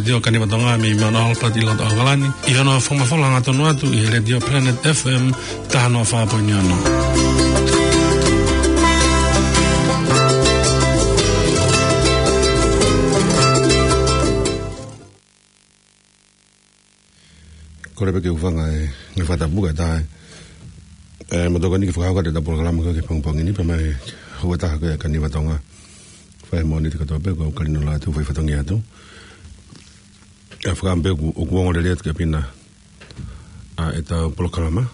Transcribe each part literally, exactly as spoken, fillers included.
Letiō Kaniva Tonga mei Mount Albert ʻi loto ʻAokalani, ʻi hono fakamafola hangatonu atu ʻi he Letiō Planet F M taha noa fā poini ono. Kole pē ke u hūfanga he ngaahi fakatapu kae ʻatā ē, mo tokoni ke fakahoko atu ʻetau polokalama ko ē ki he pongipongi ni, pea mo e houa ʻe taha ko ē ʻa e Kaniva Tonga. Fai mo ni te katoa pē ko au Kalino Lātū, fai fatongia atu. ʻE fakaʻamu pē ʻoku, ʻoku ongo lelei atu ki he ʻapi na ʻa ʻetau polokalama.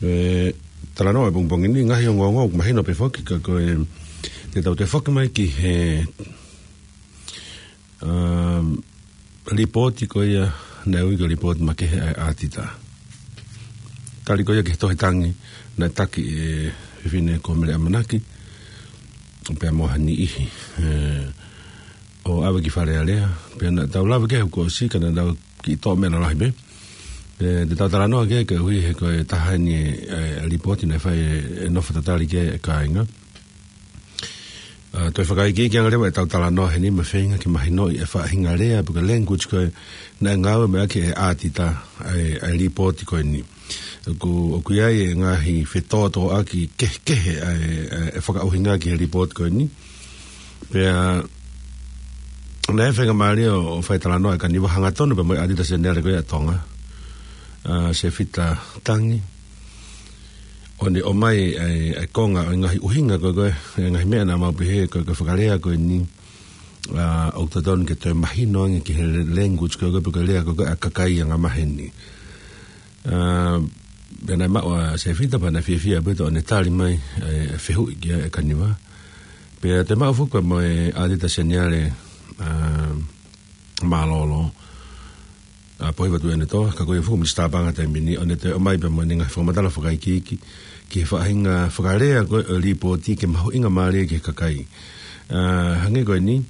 ʻE, talanoa ʻo e pongipongi ni, ngaahi ongoongo ʻoku mahino pē foki ka ko e, te tau toe foki mai ki he, um, lipooti ko ia naʻe ui ko e lipooti makehe ʻa e ʻAtita. Tali ko ia ki he tohi tangi naʻe taki ʻe he fefine ko Mele ʻAmanaki, pea mo ha niʻihi, ē, ʻo ʻave ki Fale Alea, pea naʻa tau lave ki ai he kuo ʻosi, ka naʻa tau kiʻi toʻo meʻa lalahi pē. Ē, te tau talanoa ki ai koeʻuhi he ko e taha eni e, e lipooti naʻe fai ʻe, ʻe nofo tatali ki ai e kāinga. ʻA, toe fakaikiiki ange leva ʻetau talanoa heni mo e feinga ke mahinoʻi e faʻahinga lea pe ko e language ko ē naʻe ngāue mai ʻaki ʻe he ʻAtita ʻa e, ʻa e lipooti ko eni. ʻOku, ʻoku ʻi ai e ngaahi fetōtōʻaki kehekehe ʻa e, ʻa e fakaʻuhinga ki he lipooti ko eni. Pea naʻe faingamālie ʻo fai talanoa ʻa e Kaniva hangatonu pea mo e ʻAtita Seniale ko ia ʻa Tonga, ʻa Sefita Tangi, ʻo ne ʻomai ʻa e, ʻa e konga ʻo e ngaahi ʻuhinga ko ē, ko e ngaahi meʻa naʻa mau pehē ko e, ko e fakalea ko eni, ʻa, ʻoku totonu ke toe mahino ange ki he language ko ē, pe ko e lea ko ē ʻa e kakai angamaheni. ʻA, pea naʻe maʻu ʻa Sefita pea naʻe fiefia pē ʻo ne tali mai ʻa e fehuʻi ki ai ʻa e Kaniva. Pea toe maʻu foki pea mo e ʻAtita Seniale, ʻa, Mālōlō, ʻa Pohiva Tuʻiʻonetoa, ka ko ia foki Minisitā Paʻanga taimi ni, ʻo ne toe ʻomai pea mo ʻene ngaahi fakamatala fakaikiiki ki he faʻahinga fakalea ko ē ʻo e lipooti ke mahuʻingamālie ki he kakai. ʻA, hangē ko eni,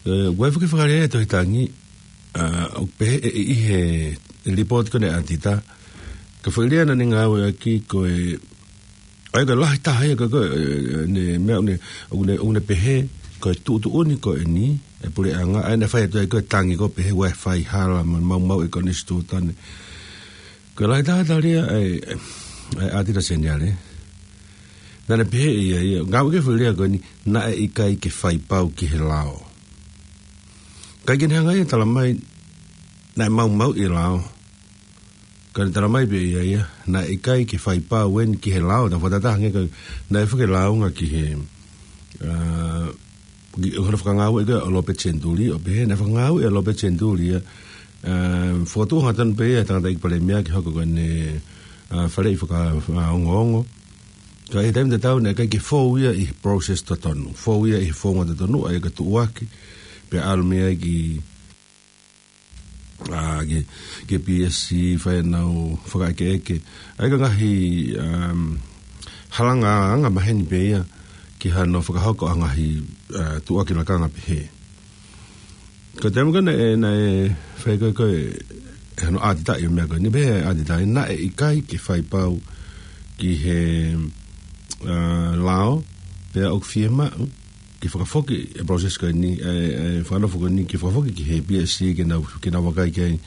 ē, ʻoku ʻi ai foki e fakalea ʻi he tohi tangi, ʻa, ʻoku pehē ʻe, ʻi he lipooti ko eni ʻa e ʻAtita, ko e foʻi lea naʻa ne ngāueʻaki ko e, ʻa ia ko e lahi taha ia ko e, ko e, ʻene meʻa ʻoku ne, ʻoku ne, ʻoku ne pehē ko e tuʻutuʻuni ko eni ʻa e puleʻanga, ʻa ia naʻe fai atu ai ko e tangi ko ē pehē ʻoku ʻikai fai hala mo maumauʻi e konisitūtone. Ko e lahi taha e tali ia ʻa e, ʻa e ʻAtita Seniale. Naʻa ne pehē ʻe ia, ia, ngāueʻaki e foʻi lea ko eni, naʻe ʻikai ke fai pau ki he lao. ʻIkai ke ne hanga ia ʻo tala mai naʻe maumauʻi e lao. Ka ne tala mai pē ʻe ia ia, naʻe ʻikai ke fai pau eni ki he lao, ta fata taha ange ka naʻe fai ke launga ki he, ʻa, ki, ʻo hono fakangāueʻi ko ē ʻa Lopeti Senituli, ʻo pehē naʻe fakangāueʻi ʻa Lopeti Senituli ia, ʻa, fokotuʻu hangatonu pē ia ʻe he tangataʻeiki palēmia ke hoko ko ʻene, ʻa, faleʻi fakaongoongo. Ka ʻi he taimi tatau naʻe ʻikai ke fou ia ʻi he process totonu. Fou ia ʻi he founga totonu, ʻa ia ko e tuʻuaki, pea ʻalu mei ai ki, ʻa, ki, ki he P S C, fai ʻenau fakaʻekeʻeke. ʻA ia ko e ngaahi, um, halanga angamaheni pē ia ki hano fakahoko ʻa e ngaahi, ʻa, tuʻuaki lakanga pehē. Ko e taimi ko ē naʻe, naʻe fai ko ē ko ē, ʻe hono ʻatitaʻi ʻo e meʻa ko eni, pehē ʻe he ʻatitaʻi naʻe ʻikai ke fai pau ki he, ʻa, lao, pea ʻoku fiemaʻu ke fakafoki e process ko eni, ʻa e, ʻa e fakanofo ko eni, ke fakafoki ki he P S C ke nau, ke nau vakai ki ai,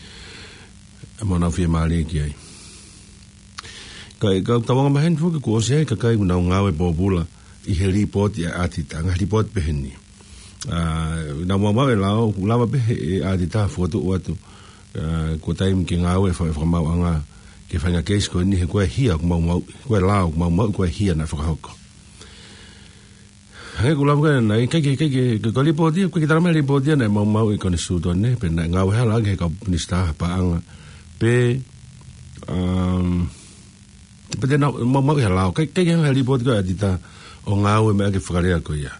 mo nau fiemālie ki ai. Ka, ka ʻoku tau angamaheni foki kuo ʻosi ʻi ai e kakai ʻoku nau ngāue pōpula ʻi he lipooti ʻa e ʻatita, ngaahi lipooti pehē ni. ʻA, naʻa mau maʻu e lao, ʻoku lava pē ʻe he ʻatita fokotuʻu atu, ʻa, ko e taimi ke ngāue e fa-, fakamaauʻanga ki he faʻahinga keisi ko eni he ko e hia ʻoku maumauʻi, ko e lao ʻoku maumauʻi, ko e hia naʻe fakahoko. Hangē ko e lava ko ē naʻe, ʻikai ke, ʻikai ke, ko e lipooti, ʻikai ke tala mai lipooti naʻe maumauʻi e konisitūtone, pe naʻe ngāue hala ange he kau minisitā paʻanga. Pe, um, pe te nau maumauʻi ha lao, ʻikai, ʻikai ke hanga ʻe he lipooti ko ē ʻa e ʻatita ʻo ngāueʻaki e fakalea ko ia.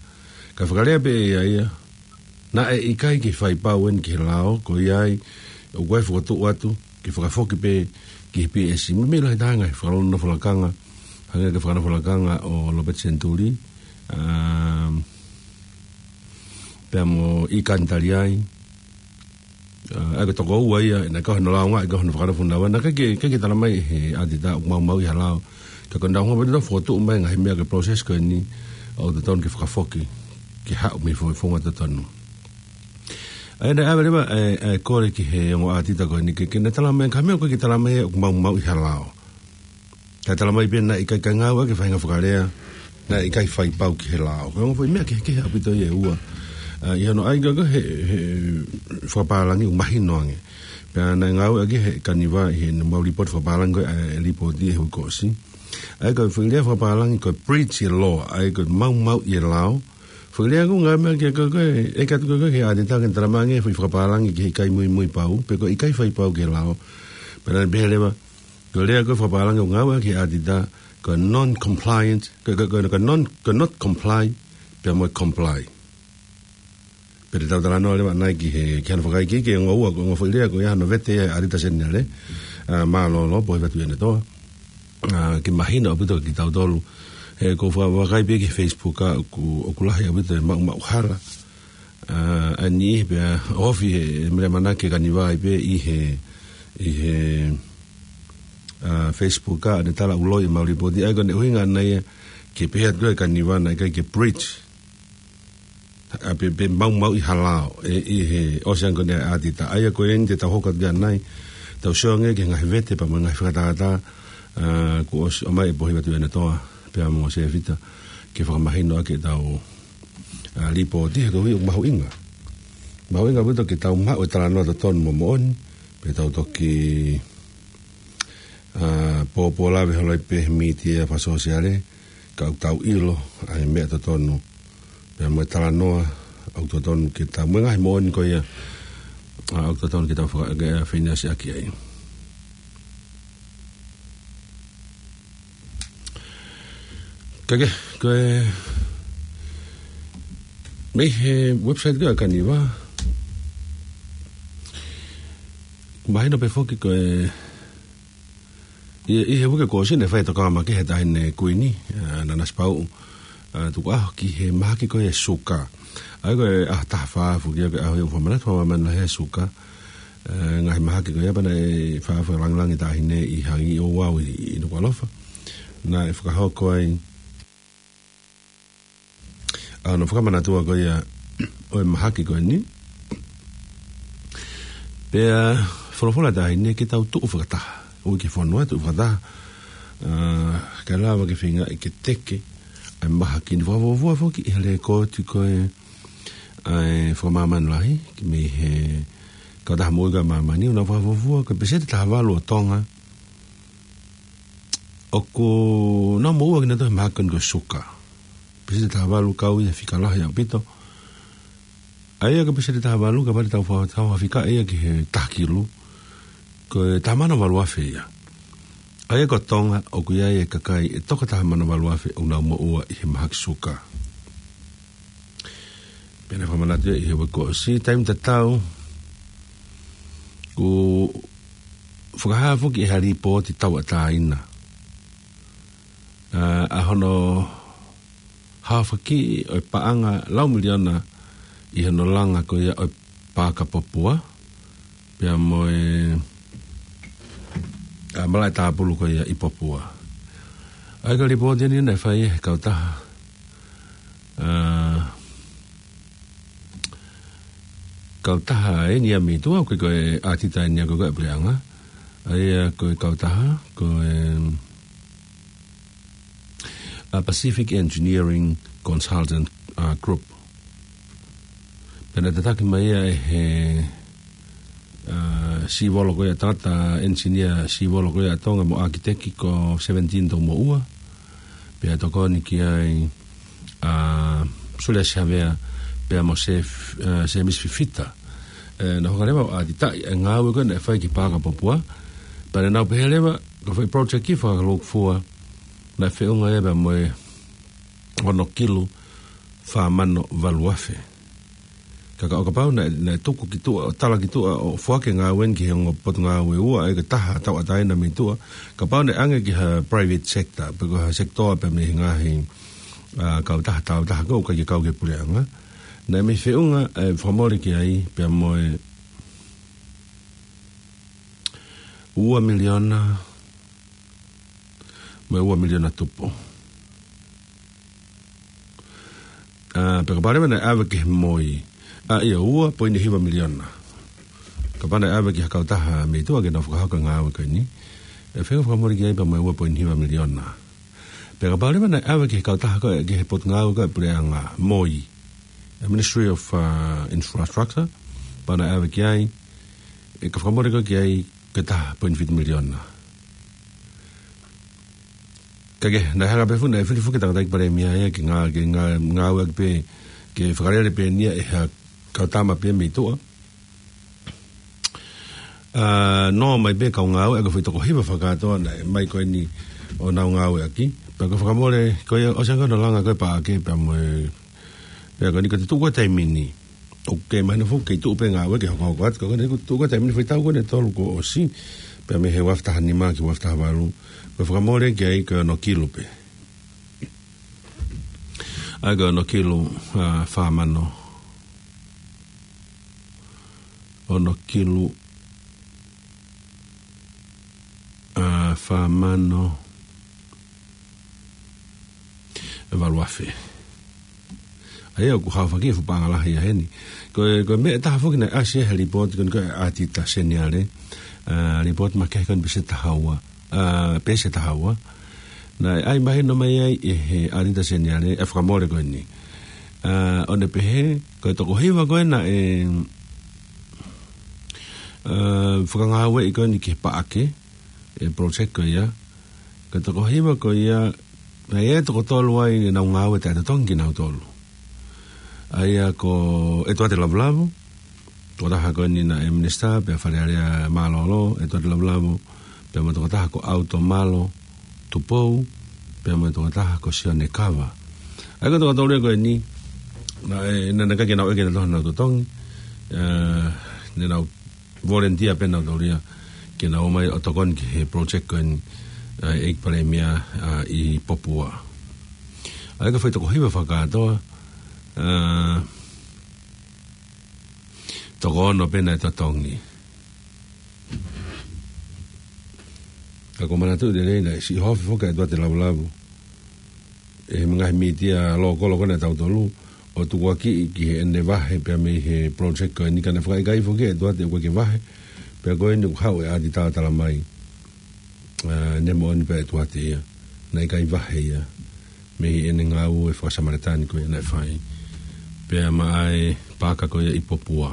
Ka fakalea pē ʻe ia ia, naʻe ʻikai ke fai pau eni ki he lao, ko ia ai, ʻoku ʻi ai e fokotuʻu atu, ke fakafoki pē ki he P S C. Meimei lahi taha e ngaahi fakanofo lakanga, hangē ko e fakanofo lakanga ʻo Lopeti Senituli, um, pea mo ʻIkani Taliai, ʻa, ʻa ia ko e toko ua ia, naʻe kau hono launga, ʻa ia ko hono fakanofo naua, naʻe ʻikai ke, ʻikai ke tala mai ʻe he ʻatita ʻoku maumauʻi ha lao. Ka ko ʻenau hanga pē ʻo fokotuʻu mai e ngaahi meʻa ki he process ko eni, ʻoku totonu ke fakafoki, ke haʻu mei he fo-, founga totonu. ʻA ia naʻe ʻave leva ʻa e, ʻa e kole ki he ongo ʻātita ko eni ke, ke ne tala mai, ka mea ko e ke tala mai ʻoku maumauʻi ha lao. Ka tala mai pē naʻe ʻikai ke ngāueʻaki e faʻahinga fakalea, naʻe ʻikai fai pau ki he lao. Ko e ongo foʻi meʻa kehekehe ʻaupito ia ʻe ua. ʻA, ʻi hono ʻai ko ē he, he fakapālangi ʻoku mahino ange. Pea naʻe ngāueʻaki he Kaniva ʻi heʻene mau lipooti fakapālangi ko ē, ʻa e lipooti ʻi he uike kuo ʻosi. ʻA ia ko e foʻi lea fakapālangi ko e breach e law, ʻa ia ko e maumauʻi e lao. Foʻi lea ʻoku ngāueʻaki ko ē, ʻe katu ko ē he ʻātita ke ne tala mai ange foʻi fakapālangi ki he ʻikai muimui pau, pe ko e ʻikai fai pau ki he lao. Pea naʻe pehē leva, ko e lea ko ē fakapālangi ʻoku ngāueʻaki he ʻātita, ko e non-compliant, ko, ko, ko, ko e non, ko e not comply, pea mo e comply. Pea te tau talanoa leva ʻanai ki he, ki hano fakaikiiki e ongo ua, ko e ongo foʻi lea ko ia hano vete ia ʻa e ʻātita seniale, ʻa, mālōlō, Pōhivatu ʻIanetoa. ʻA, ke mahino ʻaupito kia kitautolu. He ko e fa-, vakai pē ki he Facebook ʻa, ʻoku, ʻoku lahi ʻaupito e maʻu, maʻu hala. ʻA, ʻa e niʻihi pea ofi he, mele manake Kaniva ai pē ʻi he, ʻi he, ʻa, Facebook ʻa, ne tala ʻuloi e mau lipooti. ʻA ia ko ʻene ʻuhinga ʻana ia, ke pehē atu ʻe Kaniva naʻe ʻikai ke breach. ʻA, pe, pe maumauʻi ha lao, ʻe, ʻi he ʻosi ange ko eni ʻa e ʻātita. ʻA ia ko eni te tau hoko atu ʻanai, tau sio ange ki he ngaahi vete pea mo e ngaahi fakatātā, ʻa, kuo ʻosi ʻomai ʻe Pōhivatu ʻIanetoa, pea mo Sefita, ke fakamahinoʻaki ʻetau, ʻa, lipooti he koeʻuhi ʻoku mahuʻinga. Mahuʻinga ʻaupito ke tau maʻu e talanoa totonu mo moʻoni, pea tau toki, ʻa, pōpō lave holo ai pē he mītia fakasōsiale, ka ʻoku tau ʻilo ʻa e meʻa totonu. Pea mo e talanoa ʻoku totonu ke tau, mo e ngaahi moʻoni ko ia, ʻa, ʻoku totonu ke tau faka-, ke, ʻa, feinasiʻaki ai. Ka ke, ko e, mei he website ko ē ʻa Kaniva, mahino pē foki ko e, ʻi, ʻi he uike kuo ʻosi naʻe fai e tokanga makehe ʻa e Taʻahine Kuini, ʻa, Nanasipauʻu, ʻa, Tukuʻaho ki he mahaki ko ia e suka. ʻA ia ko e ʻaho taha fā foki ia ko e ʻaho ia ʻoku fakamanatu, fakamāmani lahi e suka. ʻA, ngaahi mahaki ko ia pea naʻe fa-, fakalāngilangi e Taʻahine ʻi Haʻi ʻo Vau ʻi, ʻi Nukuʻalofa. Naʻe fakahoko ai ʻa hono fakamanatua ko ia ʻo e mahaki ko eni. Pea folofola e Taʻahine ke tau tuʻu fakataha. ʻOku ke fonua tuʻu fakataha. ʻA, kae lava ke feinga ke teke ʻa e mahaki ni. Fakafuofua foki ʻi he lēkooti ko ē ʻa e fakamāmani lahi, ki mei he Kautaha Moʻui ʻa Māmani, ʻoku nau fakafuofua ko e peseti taha valu ʻo Tonga ʻoku nau moʻua kinautolu he mahaki ko eni ko e suka. Peseti taha valu kau ia he fika lahi ʻaupito. ʻA ia ko e peseti taha valu kapau te tau fa-, tau fakafika ia ki he taha kilu, ko e taha mano valu afe ia. ʻA ia ko Tonga ʻoku ʻi ai e kakai ʻe toko taha mano valu afe ʻoku nau moʻua ʻi he mahaki suka. Pea naʻe fakamanatu ia ʻi he uike kuo ʻosi, taimi tatau, kuo fakahā foki ʻe ha lipooti tauʻatāina, ʻa, ʻa hono haofaki ʻo e paʻanga lau miliona ʻi hono langa ko ia ʻo e paaka Popua, pea mo e, ʻa, malaʻe tāpulu ko ia ʻi Popua. ʻA ia ko e lipooti eni naʻe fai ʻe he kautaha, ʻa, kautaha eni ia mei tuʻa, ko e, ko e ʻātita eni ia ko e, ko e puleʻanga. ʻA ia ko e kautaha, ko e, ʻa, Pacific Engineering Consultant, ʻa, Group. Pea naʻe tataki mai ia ʻe he, ʻa, sīvolo ko ia, tangata engineer sīvolo ko ia ʻa Tonga mo ʻākiteki ko Seventeen Toumoʻua. Pea tokoni ki ai ʻa Suliasi Havea pea mo Sef-, ʻa, Semisi Fifita. ʻE, naʻa nau hanga leva ʻo ʻātitaʻi e ngāue ko ē naʻe fai ki Paaka Popua. Pea naʻa nau pehē leva, ko e foʻi project ʻi Fakalūkufua, naʻe feʻunga ia pea mo e ono kilu fā mano valu afe. Ka, ka ʻo kapau naʻe, naʻe tuku ki tuʻa, ʻo tala ki tuʻa, ʻo foaki e ngāue ni ki he ongo potungāue ʻe ua, ʻa ia ko e taha tauʻatāina mei tuʻa, kapau naʻe ʻange ki ha private sector, pe ko ha sekitoa pē mei he ngaahi, ʻa, kautaha, tauʻatāina ko ē ʻoku ʻikai ke kau ki he puleʻanga, naʻe mei feʻunga e fakamole ki ai, pea mo e ua miliona, mo e ua miliona tupu. ʻA, pea kapau leva naʻe ʻave ki he moi, ʻA ia ua poini hiva miliona. Kapau naʻe ʻave ki ha kautaha mei tuʻa ke nau fakahoko e ngāue ko eni, ʻe feinga fakamoʻoni ki ai pea mo e ua poini hiva miliona. Pea kapau leva naʻe ʻave ki he kautaha ko ē, ki he potungāue ko ē ʻa e puleʻanga, MOI, e Ministry of, uh, Infrastructure, pea naʻe ʻave ki ai, ʻe ka fakamoʻoni ko ē ki ai ko e taha poini fitu miliona. Ka ke, naʻe hanga pē foki, naʻe fili foki e tangataʻeiki palēmia ia ke ngā-, ke ngā-, ngāueʻaki pē, ke fakalele pē ʻeni ia ʻe ha kau tama pē mei tuʻa. ʻA, nofo mai pē kau ngāue, ʻa ia ko e foʻi toko hiva fakakātoa naʻe ʻomai ko eni ʻo nau ngāueʻaki. Pea ko e fakamole, ko ia ʻosi ange hono langa ko ē paʻake pea mo e, pea ko eni ko e tuʻu ko ē taimi ni. ʻOku kei mahino foki kei tuʻu pē ngāue ke hokohoko atu, ka ko eni ko e tuʻu ko ē taimi ni, foʻi taʻu ko eni ʻe tolu kuo ʻosi, pea mei he ua afe taha nima ki he ua afe taha valu. Ko e fakamole ki ai ko e ono kilu pē. ʻA ia ko e ono kilu, ʻa, fā mano. Ono kilu, ʻa, fā mano ʻe valu afe. ʻA ia ʻoku haofaki e fuʻu paʻanga lahi ia heni. Ko e, ko e meʻa ʻe taha foki naʻe ʻasi he lipooti ko eni ko e ʻAtita Seniale, ʻa, lipooti makehe ko eni pēsi ʻe taha ua, ʻa, pēsi ʻe taha ua. Naʻe ʻai mahino mai ai ʻe he ʻAtita Seniale e fakamole ko eni. ʻA, ʻo ne pehē, ko e toko hiva ko ē naʻe, ʻa, fakangāueʻi ko eni ki he paʻake, e project ko ia, ko e toko hiva ko ia, naʻe ʻi ai e toko tolu ai ʻenau ngāue taʻetotongi kinautolu. ʻA ia ko ʻEtuate Lavulavu, tokotaha ko eni naʻe minisitā pea Fale Alea mālōlō, ʻEtuate Lavulavu, pea mo e tokotaha ko ʻAutomalo Tupou, pea mo e tokotaha ko Sione Kava. ʻA ia ko e toko tolu ia ko eni, naʻe, naʻe ʻikai ke nau ʻeke nautolu honau totongi, ʻa, naʻa nau volunteer pē nautolu ia ke nau ō mai ʻo tokoni ki he project ko eni, ʻa, ʻEiki Palēmia, ʻa, ʻi Popua. ʻA ia ko e foʻi toko hiva fakakātoa, ʻa, toko ono pē naʻe totongi. Ka ʻoku ou manatuʻi lelei naʻe siʻi ʻohofi foki ʻa ʻEtuate Lavulavu ʻe he ngaahi mītia lōkolo ko ena ʻa tautolu, ʻo tukuakiʻi ki heʻene vahe pea mei he project ko eni, ka naʻe fakaʻikaiʻi foki ʻe ʻEtuate ʻoku ʻikai ke vahe, pea ko eni ʻoku haʻu e ʻAtita ʻo tala mai, ʻa, ne moʻoni pē ʻa ʻEtuate ia, naʻe ʻikai vahe ia mei heʻene ngāue fakasamalitani ko ia naʻe fai, pea maʻa e paaka ko ia ʻi Popua.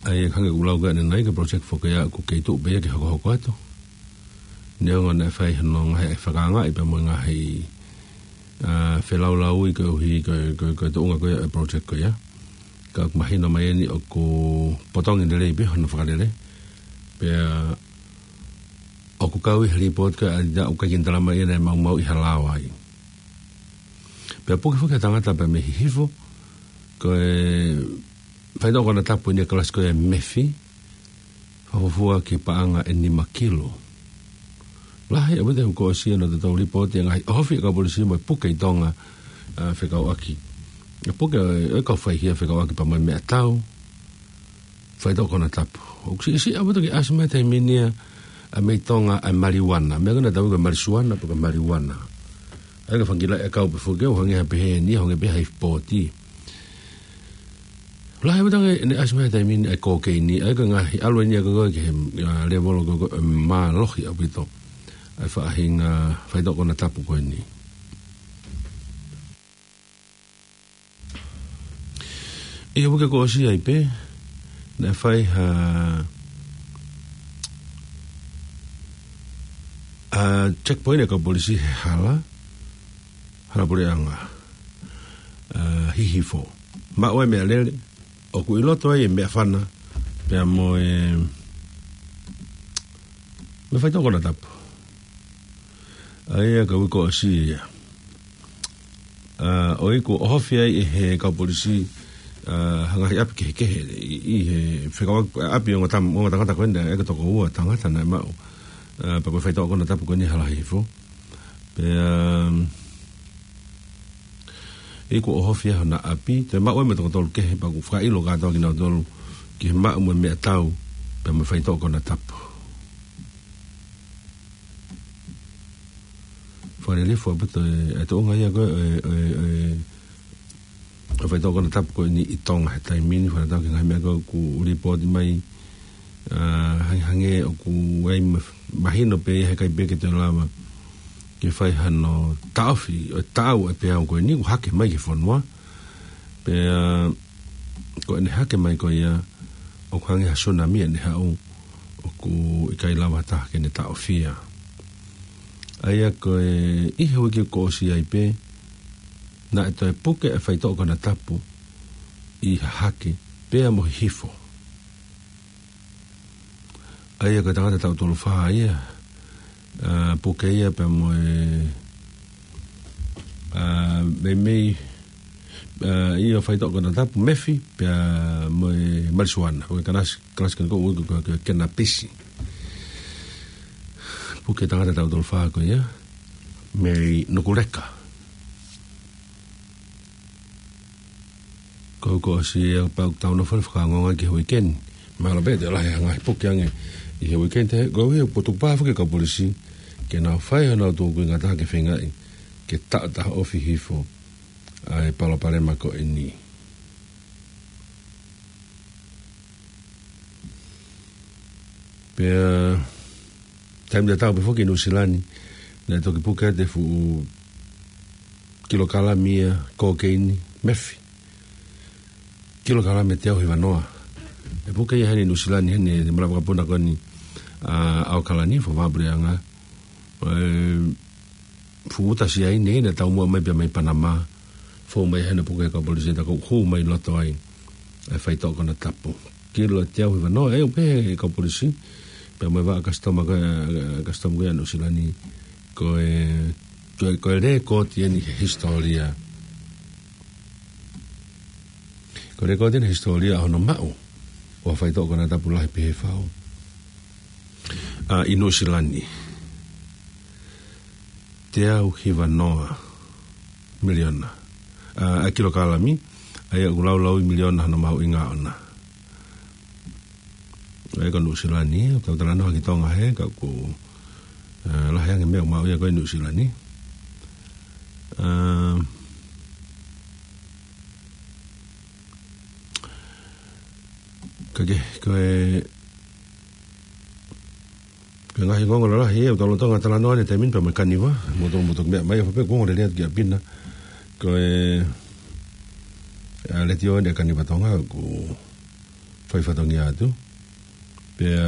ʻA ia hangē ko ʻeku lau ko ē ʻanenai, ko e project foki ia ʻoku kei tuʻu pē ia ke hokohoko atu. Neongo naʻe fai hono ngaahi fakaangaʻi pea mo e ngaahi, ʻa, felaulauʻi koeʻuhi ko e, ko e, ko e tuʻunga ko ia e project ko ia. Ka ʻoku mahino mai eni ʻoku potongi lelei pē hono fakalele. Pea ʻoku kau ʻi he lipooti ko ē ʻa ʻAtita ʻoku ʻikai ke ne tala mai ia naʻe maumauʻi ha lao ai. Pea puke foki ha tangata pea mei Hihifo, ko e faitoʻo konatapu ʻi he kalasi ko ia e mefi, fakafuofua ki he paʻanga ʻe nima kilu. Lahi ʻaupito e kuo ʻosi ʻenau totongi lipooti e ngaahi ʻohofi ʻa e kau polisi mo e puke ʻi Tonga, ʻa, fekauʻaki. ʻA, puke ʻo e, ʻo e kau faihia fekauʻaki pea mo e meʻatau, faitoʻo konatapu. ʻOku siʻisiʻi ʻaupito ke ʻasi mai he taimi ni ia, ʻa, mei Tonga ʻa e maliuana. Meʻa ko ē naʻa tau ui ko e malisuana, pe ko e maliuana. ʻA ia ko e fanga kiʻi laʻi ʻakau pē foki ia, ʻo hangē ha pehē ni, hangē pē ha ifi pooti. Lahi ʻaupito ange ʻene ʻasi mai he taimi ni ʻa e kokeini, ʻa ia ko e ngaahi ʻalu eni ia ko ē ki he, ʻa, lēvolo ko ē, ʻa, mālohi ʻaupito ʻa e faʻahinga faitoʻo konatapu ko eni. ʻI he uike kuo ʻosi ai pē, naʻe fai ha, ʻa, checkpoint ʻa e kau polisi he hala, hala puleʻanga, ʻa, Hihifo. Maʻu ai e meʻalele, ʻoku ʻi loto ai e meʻafana, pea mo e, mo e faitoʻo konatapu. ʻA ia ko e uike kuo ʻosi ia. ʻA, ʻo ʻikai ke ʻohofi ai ʻe he kau polisi, ʻa, ha ngaahi ʻapi kehekehe ʻi, ʻi he fekauʻaki, ʻapi ʻo e ongo tam-, ongo tangata ko ena, ʻa ia ko e toko ua tangata naʻe maʻu, ʻa, pea ko e faitoʻo konatapu ko eni hala Hihifo. Pea, um, ʻikai ke ʻohofi ai hona ʻapi, toe maʻu ai mo e toko tolu kehe, pea ʻoku fakaʻilo kātoa kinautolu ki he maʻu mo e meʻatau, pea mo e faitoʻo konatapu. Fakalilifu ʻaupito e, e tuʻunga ia ko ē, e, e, e, ʻo e faitoʻo konatapu ko eni ʻi Tonga he taimi ni, fakatatau ki he ngaahi meʻa ko ē ʻoku lipooti mai, ʻa, hangehangē ʻoku ʻi ai ma-, mahino pē ia he ʻikai pē ke toe lava ke fai hano taʻofi ʻo e taʻau ʻa e peau ko eni, ʻoku hake mai ki he fonua. Pea ko ʻene hake mai ko ia, ʻoku hangē ha sunami ʻene haʻu, ʻoku ʻikai lava ha taha ke ne taʻofi ia. ʻA ia ko e ʻi he uike kuo ʻosi ai pē, naʻe toe puke e faitoʻo konatapu ʻi Hahake pea mo Hihifo. ʻA ia ko e tangata taʻu tolu fā ia, ʻa, puke ia pea mo e, ʻa, meimei, ʻa, ʻi he faitoʻo konatapu mefi pea mo e malisuana, ko e kalasi, kalasi ko ē ʻoku ui ko e, ko e kenapisi. Puke tangata taʻu tolu fā ko ia, Mary Nukuleka. Ko, kuo ʻosi ia pea ʻoku tau nofo fakaongoongo ki he uike ni. Mahalo pē te lahi ha ngaahi puke ange ʻi he uike ni, he ko e ʻuhi ʻoku tuku pā foki e kau polisi ke nau fai honau tūkuinga taha ke feingaʻi ke taʻotaʻofi hifo ʻa e palopalema ko eni. Pea taimi tatau pē foki ʻi Nuʻusila ni, naʻe toki puke atu e fuʻu kilokalami ia kokeini mefi. Kilokalami ʻe teau hiva noa. ʻE puke ia heni ʻi Nuʻusila ni, heni he malaʻe vakapuna ko eni ʻa ʻAokalani, Fakavahaʻapuleʻanga. ʻE fuʻu uta siaine naʻe taumuʻa mai pea mei Panama. Fou mai heni puke he kau polisi, tā ko ē ʻoku hū mai loto ai ʻa e faitoʻo konatapu. Kilo ʻe teau hiva noa, ʻe ʻoku pehē ʻe he kau polisi, pea mo e vaʻa customs ko ē, customs ko ē ʻa Nuʻusila ni, ko e, ko e, ko e lēkooti eni he hisitōlia. Ko e lēkooti eni he hisitōlia ʻo hono maʻu ʻo ha faitoʻo konatapu lahi pehē fau ʻa, ʻi Nuʻusila ni. Teau hiva noa miliona. ʻA, ʻa e kilokalami, ʻa ia ʻoku laulaui miliona hono mahuʻinga ʻona. ʻA ia ko Nuʻusila ni, ʻoku tau talanoa ki Tonga he, ka ʻoku, ʻa, lahi ange meʻa ʻoku maʻu ia ko ē ʻi Nuʻusila ni. ʻA, ka ke, ko e, ko e ngaahi ongoongo lalahi ia ʻoku tau lolotonga talanoa ʻi he taimi ni pea mo e Kaniva, mo tau mo tau meʻa mai, ʻa pē ʻoku ongo lelei atu ki ʻapi na, ko e, ʻa, letiō ʻa e Kaniva Tonga ʻoku fai fatongia atu. Pea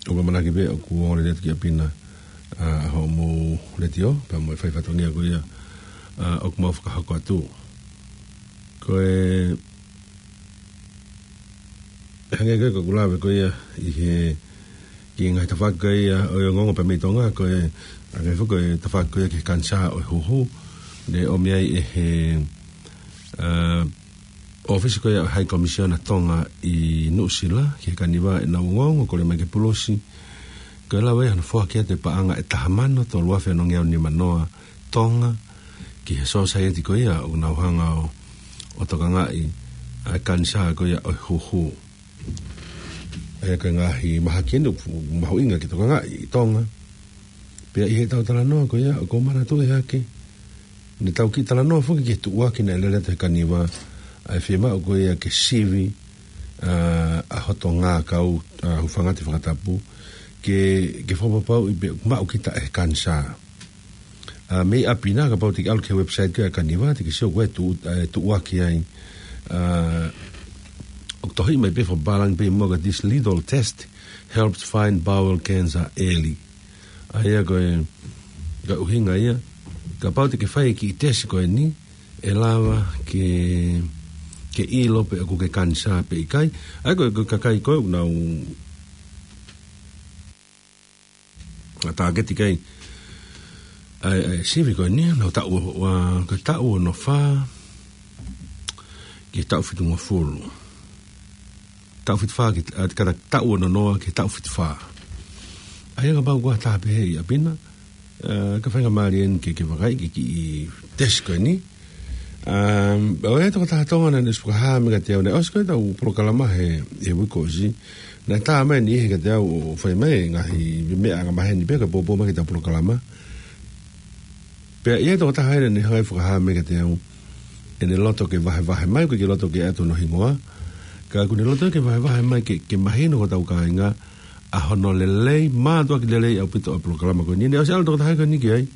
ʻoku ou ʻamanaki pē ʻoku ongo lelei atu ki ʻapi na, ʻa, hoʻomou letiō, pea mo e fai fatongia ko ia, ʻa, ʻoku mau fakahoko atu. Ko e, hangē ko ē ko ʻeku lave ko ia ʻi he, ki he ngaahi tafaʻaki ko ia ʻo e ongoongo pea mei Tonga, ko e, hangē foki ko e tafaʻaki ko ia ki he kanisā ʻo e huhu, naʻe ʻomi ai ʻe he, ʻa, ʻōfisi ko ia ʻo e High Commissioner Tonga ʻi Nuʻusila ki he Kaniva ʻenau ongoongo, kole mai ki he Pulisi, ko e lava ia hono foaki atu e paʻanga ʻe taha mano tolu afe ono ngeau nima noa Tonga ki he sōsaieti ko ia ʻoku nau hanga ʻo, ʻo tokangaʻi ʻa e kanisā ko ia ʻo e huhu. ʻA ia ko e ngaahi mahaki eni ʻoku mahuʻinga ke tokangaʻi ʻi Tonga. Pea ʻi heʻetau talanoa ko ia, ʻoku ou manatuʻi hake, naʻa tau kiʻi talanoa foki ki he tuʻuaki naʻe lele atu he Kaniva, ʻa e fiemaʻu ko ia ke sivi, ʻa, ʻa hoto ngākau, ʻa, hūfanga he fakatapu, ke, ke fakapapauʻi pē ʻoku maʻu kita ʻe he kanisā. ʻA, mei ʻapi na, kapau te ke ʻalu ki he website ko ia ʻa e Kaniva, te ke sio ko e tuʻu-, ʻa e tuʻuaki ai. ʻA, ʻoku tohi mai pē fakapālangi pē muʻa ko e, "This little test helps find bowel cancer early." ʻA ia ko e, ko e ʻuhinga ia, kapau te ke fai e kiʻi tesi ko eni, ʻe lava ke, ke ʻilo pe ʻoku ke kanisā pe ʻikai. ʻA ia ko e, ko e kakai ko ē ʻoku nau ʻa tāketi ki ai ʻa e, ʻa e sivi ko eni, nau taʻu, ʻa, ko e taʻu ono fā ki he taʻu fitungofulu. Taʻu fitu fā ki, ʻa, ka taʻu ono noa ki he taʻu fitu fā. ʻA ia kapau ʻoku ʻi ai ha taha pehē ʻi ʻapi na, ʻa, ka faingamālie eni ke, ke vakai ki he kiʻi tesi ko eni. ʻA, ʻoku ʻi ai e tokotaha Tonga naʻe ʻosi fakahā mai kiate au, naʻe ʻosi ko ē ʻetau polokalama he, he uike kuo ʻosi. Naʻe tā mai ʻene ʻi heni kiate au ʻo fai mai e ngaahi meʻa angamaheni pē ka pōpō mai ki heʻetau polokalama. Pea ʻi ai e tokotaha ia naʻe hanga ʻo fakahā mai kiate au, ʻene loto ke vahevahe mai, ʻoku ʻikai ke loto ke ʻatu hono hingoa. Ka ʻoku ne loto ke vahevahe mai ke, ke mahino ki hotau kāinga ʻa hono lelei, mātuʻaki lelei ʻaupito ʻa e polokalama ko eni. Ne ʻosi ʻalu e tokotaha ko eni ki ai.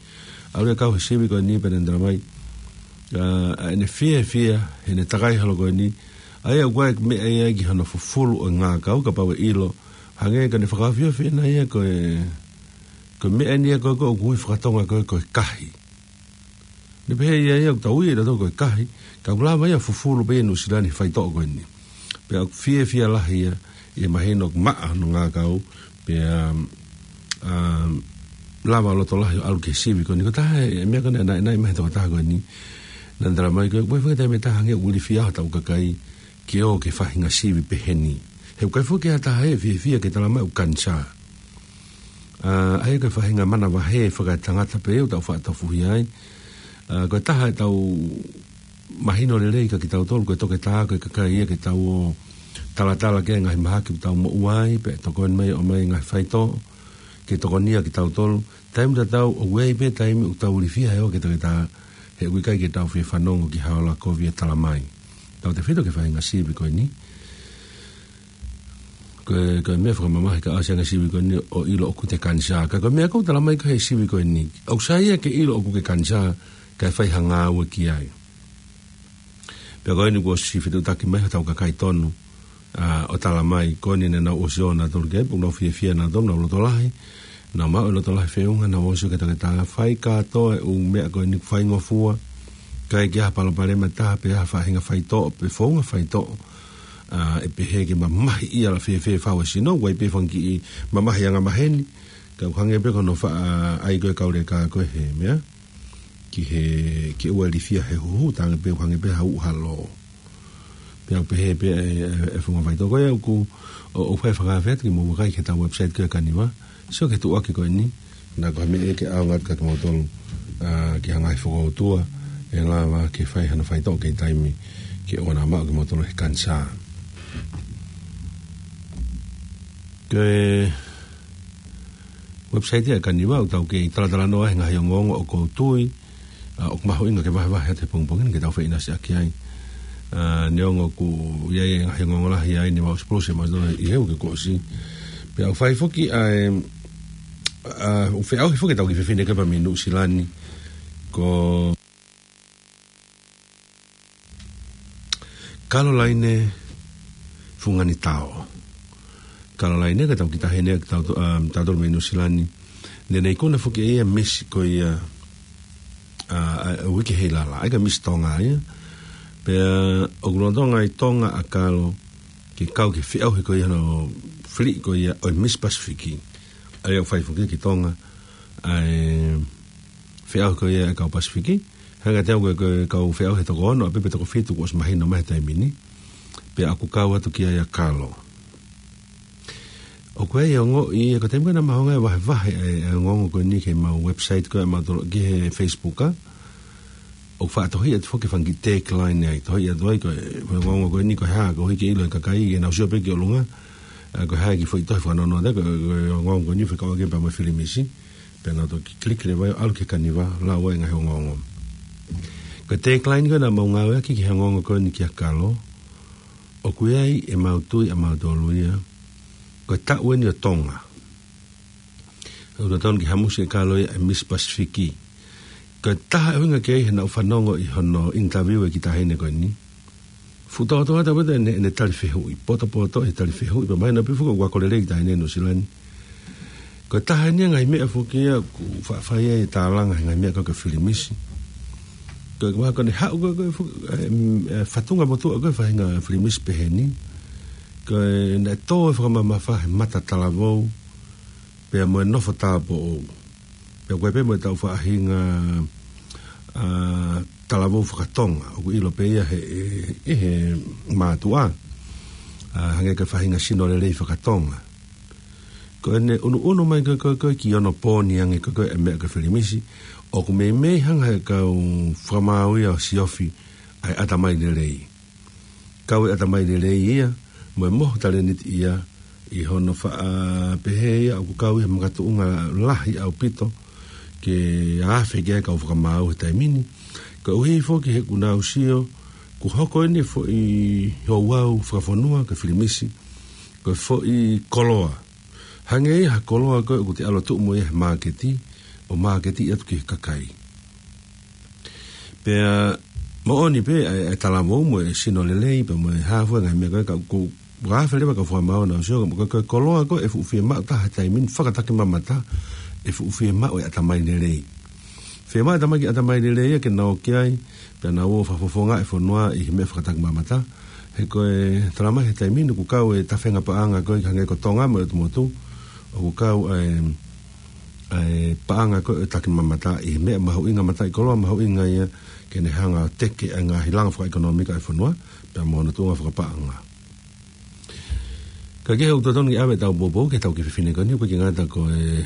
ʻAlu ia ʻo kau he sivi ko eni pea ne talamai, ʻa, ʻa ʻene fiefia heʻene takai holo ko eni. ʻA ia ʻoku ʻi ai e meʻa ia ki hono fufulu ʻo e ngākau kapau ʻe ʻilo. Hangē ko ʻene fakaofiofi ʻana ia ko e, ko e meʻa eni ia ko, ko ʻoku ui fakatonga ko, ko e kahi. Ne pehē ia ia ʻoku tau ui ʻe tautolu ko e kahi, ka ʻoku lava ia ʻo fufulu pē ia ʻi Nuʻusila ni he faitoʻo ko eni. Pea ʻoku fiefia lahi ia, ʻi he mahino ʻoku maʻa hono ngākau, pea, um, um, lava ʻo loto lahi ʻo ʻalu ki he sivi ko eni. Ko e taha e, e meʻa ko ē naʻe, naʻe, naʻe ʻomai he tokotaha ko eni. Naʻa ne talamai ko e, ko e fakatātā e meʻa ʻoku ʻikai ke ʻi ai ha taimi ʻe taha hangē ʻoku ilifia ai hotau kakai ke ō ki he faʻahinga sivi pehē ni. He ʻoku ʻikai foki ke ʻi ai ha taha ʻe fiefia ke talamai ʻoku kanisā. ʻA, ʻa ia ko e faʻahinga manavahē fakaetangata pē ʻoku tau faʻa tofuhia ai. ʻA, ko e taha ʻetau mahino lelei kia kitautolu, ko e toketā, ko e kakai ia ke tau ō ʻo talatala ki he ngaahi mahaki ʻoku tau moʻua ai, pea tokoni mai ʻo ʻomai e ngaahi faitoʻo ke tokonia kitautolu. Taimi tatau, ʻoku ʻi ai pē taimi ʻoku tau ilifia he ō ki he toketā, he ʻoku ʻikai ke tau fie fanongo ki ha ola kovi ʻe talamai. Tautefito ki he faʻahinga sivi ko eni. Ko e, ko e meʻa fakamamahi ka ʻasi ange sivi ko eni ʻo ʻilo ʻoku te kanisā. Ka ko e meʻa ʻoku talamai ko ē he sivi ko eni, ʻoku sai ia ke ʻilo ʻoku ke kanisā, kae fai ha ngāue ki ai. Pea ko eni kuo ʻosi fetuʻutaki mai hotau kakai tonu, ʻa, ʻo talamai ko eni naʻa nau ʻosi ō nautolu ki ai, pea nau fiefia nautolu, nau loto lahi, nau maʻu e loto lahi feʻunga, nau ō ʻo sio ki he toketā, fai kātoa e ʻū meʻa ko eni ʻoku faingofua, ʻikai ke ʻi ai ha palopalema ʻe taha pe ha faʻahinga faitoʻo, pe founga faitoʻo, ʻa, ʻe pehē ke mamahi ia ʻa e fēfē fau e sino, ʻoku ʻi ai pē fanga kiʻi mamahi angamaheni, ka ʻoku hangē pē ko hono faʻa ʻai ko ē e kau leka ko ē he meʻa, ki he, ke ʻoua ʻe ilifia he huhu, talaange pē ʻoku hangē pē ha uʻu ha lō. Pea ʻoku pehē pē e, e, e founga faitoʻo ko ia ʻoku, ʻo, ʻoku fai e fakaafe atu ke mou vakai ki heʻetau website ko ē ʻa e Kaniva. Sio ki he tuʻuaki ko eni, naʻa ko ha meʻa ia ke ʻaonga atu kia kimoutolu, ʻa, ki ha ngaahi fokoutua, ʻe lava ke fai hano faitoʻo ki he taimi ke ʻoua naʻa maʻu kimoutolu ʻe he kanisā. Ko e website ia ʻa e Kaniva, ʻoku tau kei talatalanoa he ngaahi ongoongo ʻoku ou tui, ʻa, ʻoku mahuʻinga ke vahevahe atu he pongipongi ni ke tau feʻinasiʻaki ai. ʻA, neongo ʻoku ʻi ai e ngaahi ongoongo lahi ai ne mau sipulusi mau tō ʻi he uike kuo ʻosi. Pea ʻoku fai foki ʻa e, ʻa, ʻoku feʻauhi foki ʻetau kiʻi fefine ko ē mei Nuʻusila ni, ko Kalolaine Funganitao. Kalolaine ko e tau kiʻi taʻahine ʻa kitautolu, um, tautolu mei Nuʻusila ni. Ne ne ikuna foki ʻe ia e Miss ko ia, ʻa, ʻa, ʻa e uike ʻi he lala, ʻa ia ko e Miss Tonga ia. Pea ʻoku lolotonga ʻi Tonga ʻa Kalo ke kau ki he feʻauhi ko ia hono fili ko ia ʻo e Miss Pacific. ʻA ia ʻoku fai foki ki Tonga ʻa e feʻauhi ko ia ʻa e kau Pasifiki. Hangē kiate au ko e, ko e kau feʻauhi ʻe toko ono, ʻa pē pe toko fitu kuo ʻosi mahino mai he taimi ni. Pea ʻoku kau atu ki ai ʻa Kalo. ʻOku ʻi ai e ongoʻi, ko e taimi ko ē naʻa mau hanga ʻo vahevahe e, e ongoongo ko eni ki heʻemau website ko ē ʻa mautolu ki he Facebook, ʻa. ʻOku faʻa tohi atu foki e fanga kiʻi tagline ai, tohi atu ai ko e, ko e ongoongo ko eni ko e hā, koeʻuhi ke ʻilo ʻe he kakai, ke nau sio pē ki ʻolunga, ʻa, ko e hā e kiʻi foʻi tohi fakanono, ko e, ko e ongoongo ko eni fekauʻaki pea mo e filimisi. Pea nau toki click leva ai ʻo ʻalu ki he Kaniva, lau ai e ngaahi ongoongo. Ko e tagline ko ē naʻa mau ngāueʻaki ki he ongoongo ko eni kia Kalo, ʻoku ʻi ai ʻemau tui ʻa mautolu ia, ko e taʻu eni ʻo Tonga. ʻOku totonu ke hamusi ʻe Kalo ia e Miss Pacific. Ko e taha e ʻuhinga ki ai he naʻa ku fanongo ʻi hono interview e kiʻi taʻahine ko eni. Fuʻu tōtōatu ʻaupito ʻene, ʻene tali fehuʻi, potopoto e tali fehuʻi, pea mahino pē foki ʻoku ako lelei e kiʻi taʻahine Nuʻusila ni. Ko e taha eni e ngaahi meʻa foki ia ʻoku faʻa fai ai e tālanga he ngaahi meʻa ko ē ko e filimisi. Ko e, ko e, ko ʻene haʻu ko ē, ko e fu-, e, e, fatunga motuʻa ko ē faʻahinga filimisi pehē ni. Ko ʻene tō e fakamamafa he mata talavou, pea mo e nofo tāupoʻou. Pea ko e pē mo ʻetau faʻahinga, ʻa, talavou fakatonga, ʻoku ʻilo pē ia he, he, he mātuʻa. ʻA, hangē ko e faʻahinga sino lelei fakatonga. Ko ʻene ʻunuʻunu mai ko ē, ko ē, ko ē ki onopooni ange ko ē, ko ē e meʻa ko e filimisi, ʻoku meimei hanga ʻe he kau fakamaau ia ʻo siofi ʻa e ʻatamai lelei. Kau e ʻatamai lelei ia, mo e mohu talēniti ia, ʻi hono faʻa pehē ia, ʻoku kau ia he makatuʻunga lahi ʻaupito, ke afe ki ai e kau fakamaau he taimi ni. Koeʻuhi foki he ʻoku nau sio, kuo hoko eni e foʻi ouau fakafonua ko e filimisi ko e foʻi koloa. Hangē ia ha koloa ko ē ʻoku te ʻalu atu mo ia he māketi, ʻo māketi atu ki he kakai. Pea moʻoni pē ʻa e, ʻa e talavou mo e sino lelei, pea mo e hā fua e ngaahi meʻa ko ē, ka ʻoku, ʻoku ʻafe leva ka fua mau na sio, ka ko e, ko e koloa ko ē ʻe fuʻu fiemaʻu taha he taimi ni fakatakimamata, ʻe fuʻu fiemaʻu e ʻatamai lelei. Fiemaʻu e ʻatamai, ʻatamai lelei ia ke nau ō ki ai, pea nau ō ʻo fakafofongaʻi e fonua ʻi he meʻa fakatakimamata. He ko e talamai he taimi ni ʻoku kau e tafenga paʻanga ko ē hangē ko Tonga mo e ʻOtu Motu, ʻoku kau ʻa e, ʻa e paʻanga ko ē takimamata ʻi he meʻa mahuʻinga, mataʻikoloa mahuʻinga ia ke ne hanga ʻo teke ʻa e ngaahi langa fakaʻekonōmika ʻa e fonua, pea mo hono tuʻunga fakapaʻanga. Ka ko e hā ʻoku totonu ke ʻave ʻetau poupou ki heʻetau kiʻi fefine ko eni, ʻoku ʻikai ke ngata ko e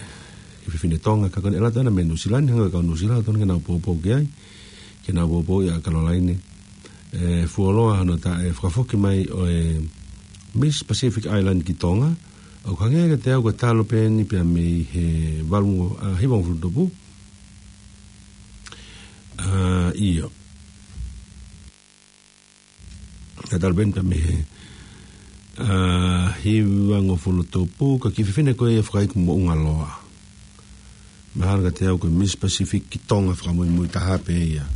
kiʻi fefine Tonga, ka ko eni ʻe lata ʻana mei Nuʻusila ni, hangē ko e kau Nuʻusila ʻoku totonu ke nau poupou ki ai, ke nau poupou ʻia Kalolaine. ʻE fuoloa hono tā ʻe fakafoki mai ʻo e Miss Pacific Island ki Tonga, ʻoku hangē kiate au ko e talu pē eni pea mei he valu, ʻa, hivangofulu tupu. ʻA, ʻio. Ka talu pē eni pea mei he, ʻa, hivangofulu tupu, ko e kiʻi fefine ko ia fakaiku moʻunga loa. Mahalo kiate au ko e Miss Pacific ki Tonga fakamuimui taha pē ia.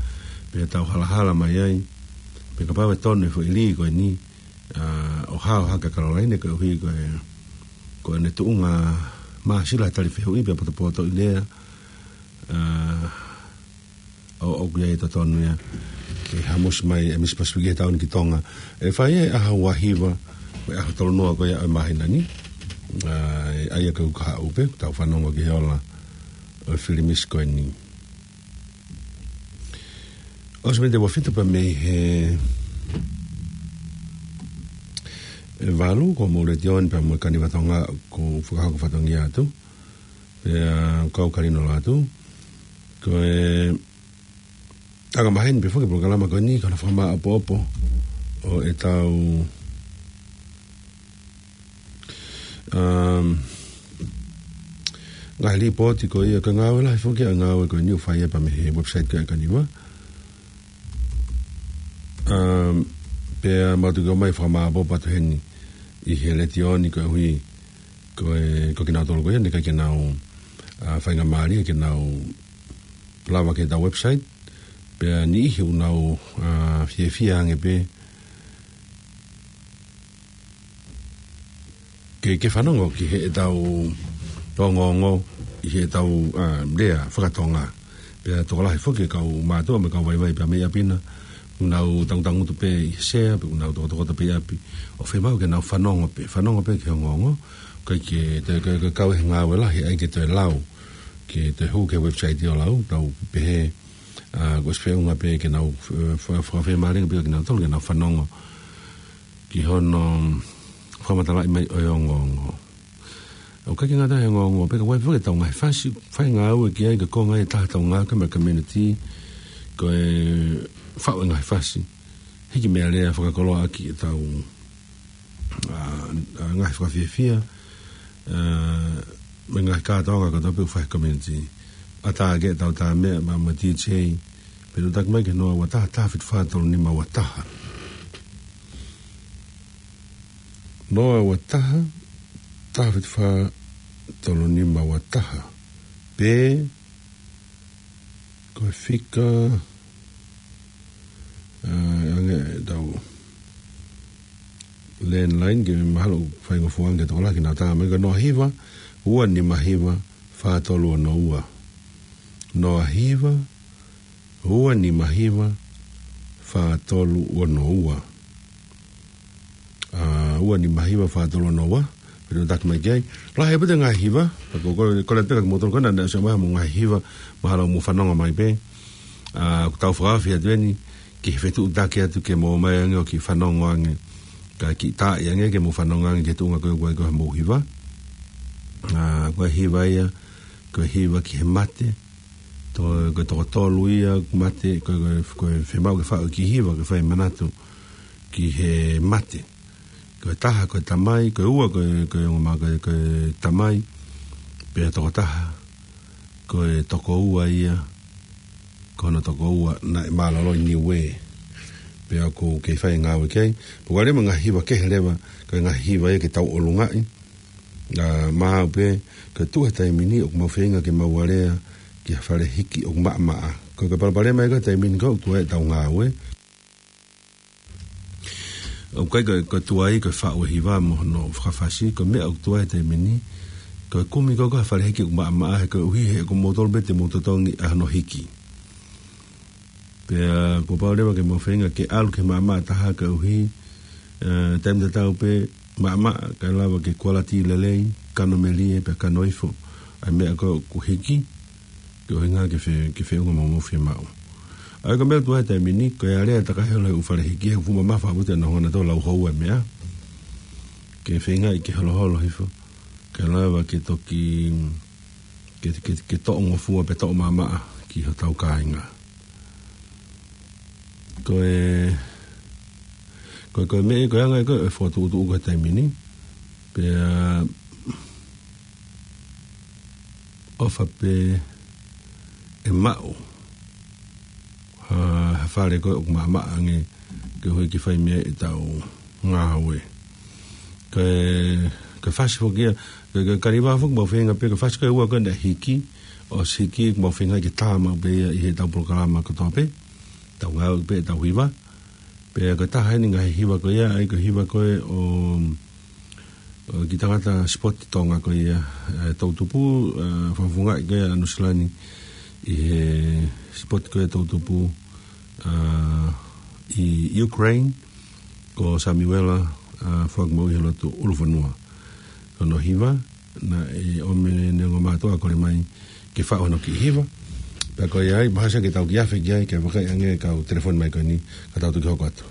Pea tau halahala mai ai. Pea kapau ʻe tonu e foʻi lī ko eni, ʻa, ʻo hao hake ʻa Kalolaine koeʻuhi ko e, ko ʻene tuʻunga māsila tali fehuʻi pea potopoto ʻi lea, ʻa, ʻo, ʻoku ʻi ai e totonu ia ke hamusi mai e Miss Pacific he taʻu ni ki Tonga. ʻE fai ia he ʻaho ua hiva, ko e ʻaho tolu noa ko ia ʻo e māhina ni. ʻA, ʻa ia ko e uike kahaʻu pē, tau fanongo ki he ola ʻo e filimisi ko eni. ʻOsi mei he ua fitu pea mei he, ʻe valu, ko homou letiō ni pea mo e Kaniva Tonga ʻoku fakahoko fatongia atu. Pea kau kalino la atu. Ko e anga maheni pē foki e polokalama ko eni, ko hono fakamāʻopoʻopo ʻo ʻetau, um, ngaahi lipooti ko ia, ko e ngāue lahi foki ʻa e ngāue ko eni ʻoku fai ia pea mei he website ko ia ʻa e Kaniva. Um, pea mau toki ʻomai fakamāʻopoʻopo atu heni ʻi he letiō ni koeʻuhi ko e, ko kinautolu ko ia naʻe ʻikai ke nau, ʻa, faingamālie ke nau lava ki heʻetau website, pea niʻihi ʻoku nau, ʻa, fiefia ange pē ke, ke fanongo ki heʻetau ongoongo ʻi heʻetau, ʻa, lea faka-Tonga. Pea tokolahi foki e kau mātuʻa mo e kau vaivai pea mei ʻapi na, ʻoku nau tangutangutu pē ʻi he sea, pe ʻoku nau tokotokoto pē ʻi ʻapi. ʻOku fiemaʻu ke nau fanongo pē, fanongo pē ki he ongoongo, ʻikai ke, te, ke, ke kau he ngāue lahi, ʻai ke toe lau, ke toe hū ki he website ʻo lau, tau pehē, ʻa, kuo ʻosi feʻunga pē ke nau, ʻe, fa-, fa-, fakafemālieʻi pē kinautolu ke nau fanongo ki hono fakamatalaʻi mai ʻo e ongoongo. ʻOku ʻikai ke ngata he ongoongo, pea ka ʻoku ʻi ai foki ʻetau ngaahi fasi, fai ngāue ki ai, ko e konga ia ʻe taha ʻetau ngāue mo e community, ko e faʻu e ngaahi fasi. Hiki meʻalea fakakoloa ʻaki ʻetau, ʻa, ʻa, ngaahi fakafiefia, ʻa, mo e ngaahi kātoanga kotoa pē ʻoku fai he community. ʻAtā ke ʻetau tā meʻa mo e D J, pea toki taki mai ki he noa ua taha, taha fitu fā tolu nima ua taha. Noa ua taha, taha fitu fā tolu nima ua taha. Pe ko e fika, ʻa, ange ʻetau landline ke mahalo faingofua ange ke tokolahi ke nau tā mai, ko e noa hiva, ua nima hiva, fā tolu ono ua. Noa hiva, ua nima hiva, fā tolu ono ua. ʻA, ua nima hiva, fā tolu ono ua. Pea toki taki mai ki ai. Lahi pē ʻetau ngaahi hiva, ka ko, ko, ko e lea pē kia kimoutolu ko ena naʻe ʻosi ʻomai mo e ngaahi hiva, mahalo mou fanongo mai pē. ʻA, ʻoku tau fakaofi atu eni, ki he fetuʻutaki atu ke mou ō mai ange ʻo kiʻi fanongo ange. Kae kiʻi taaʻi ange ke mou fanongo ange ki he tuʻunga ko ē ʻoku ʻi ai ko ē hoʻomou hiva. ʻA, ko e hiva ia, ko e hiva ki he mate, to-, ko e toko tolu ia mate, ko e, ko e, ko e fiemaʻu ke faʻu e kiʻi hiva, ke fai manatu ki he mate. Ko e taha, ko e tamai, ko e ua, ko e, ko e ongo mā, ko e, ko e tamai, pea toko taha, ko e toko ua ia, ko hono tokoua naʻe mālōlō ʻi Niuē. Pea ʻoku kei fai e ngāue ki ai. Pea ʻoku ʻi ai mo e ngaahi hiva kehe leva, ko e ngaahi hiva ia ke tau ʻolungaʻi. ʻA, mahalo pē, ko e tuʻu he taimi ni, ʻoku mau feinga ke mau alea ki ha fale hiki ʻoku maʻamaʻa. Ko e palopalema ia ko e taimi ni ko ē ʻoku tuʻu ai ʻetau ngāue. ʻOku ʻikai ko e, ko e tuai, ko e faʻu e hiva mo hono fakafasi, ko e meʻa ʻoku tuai he taimi ni, ko e kumi ko ē ha fale hiki ʻoku maʻamaʻa he koeʻuhi he ko moutolu pē te mou totongi ʻa hono hiki. Pea kuo pau leva ke mau feinga ke ʻalu ki he maʻamaʻa taha koeʻuhi, ē, taimi tatau pē maʻamaʻa, kae lava ke kualiti lelei, kano melie, pea kano ifo ʻa e meʻa ko ē ʻoku hiki, ke ʻuhinga ke fe-, ke feʻunga mo hoʻomou fiemaʻu. ʻA ia ko e meʻa ʻoku tuai he taimi ni, ko e alea ʻa e takahi holo he ʻū fale hiki, he ʻoku fuʻu mamafa ʻaupito ʻena ʻaonga ʻo lau houa e meʻa. Ke feingaʻi ke holoholo hifo, kae lava ke toki, ke, ke, ke toʻo ngofua pe toʻo maʻamaʻa ki hotau kāinga. Ko e, ko e, ko e meʻa, ko e anga ia ko ē e fokotuʻutuʻu ko ē he taimi ni, pea ʻofa pē ʻe maʻu ha, ha fale ko ē ʻoku maʻamaʻa ange koeʻuhi ke fai mei ai ʻetau ngāue. Ko e, ko e fasi foki ia, ko e, ko e kaliva foki mau feinga pē, ko e fasi ko ē ʻe ua ko ē naʻe hiki, ʻosi hiki, mau feinga ke tā maʻu pē ia ʻi heʻetau polokalama kotoa pē, tau ngāue pē ʻetau hiva. Pea ko e taha eni e ngaahi hiva ko ia, ʻa ia ko e hiva ko ē ʻo, ʻo e kiʻi tangata sipoti Tonga ko ia, ē, toʻutupu, ē, fakafofongaʻi ko ia ʻa Nuʻu Sila ni ʻi he sipoti ko ia toʻutupu, ē, ʻi Ukraine, ko Samiuela, ē, Fuakimoʻui he lotu ʻUlufonua. Ko hono hiva, naʻe ʻomi ʻe he ongo mātuʻa kole mai ke faʻu hono kiʻi hiva. Pea ko ia ai, mahalo ʻe ke tau kiʻi afe ki ai, ke vakai ange e kau telefoni mai ko eni, ka tau toki hoko atu.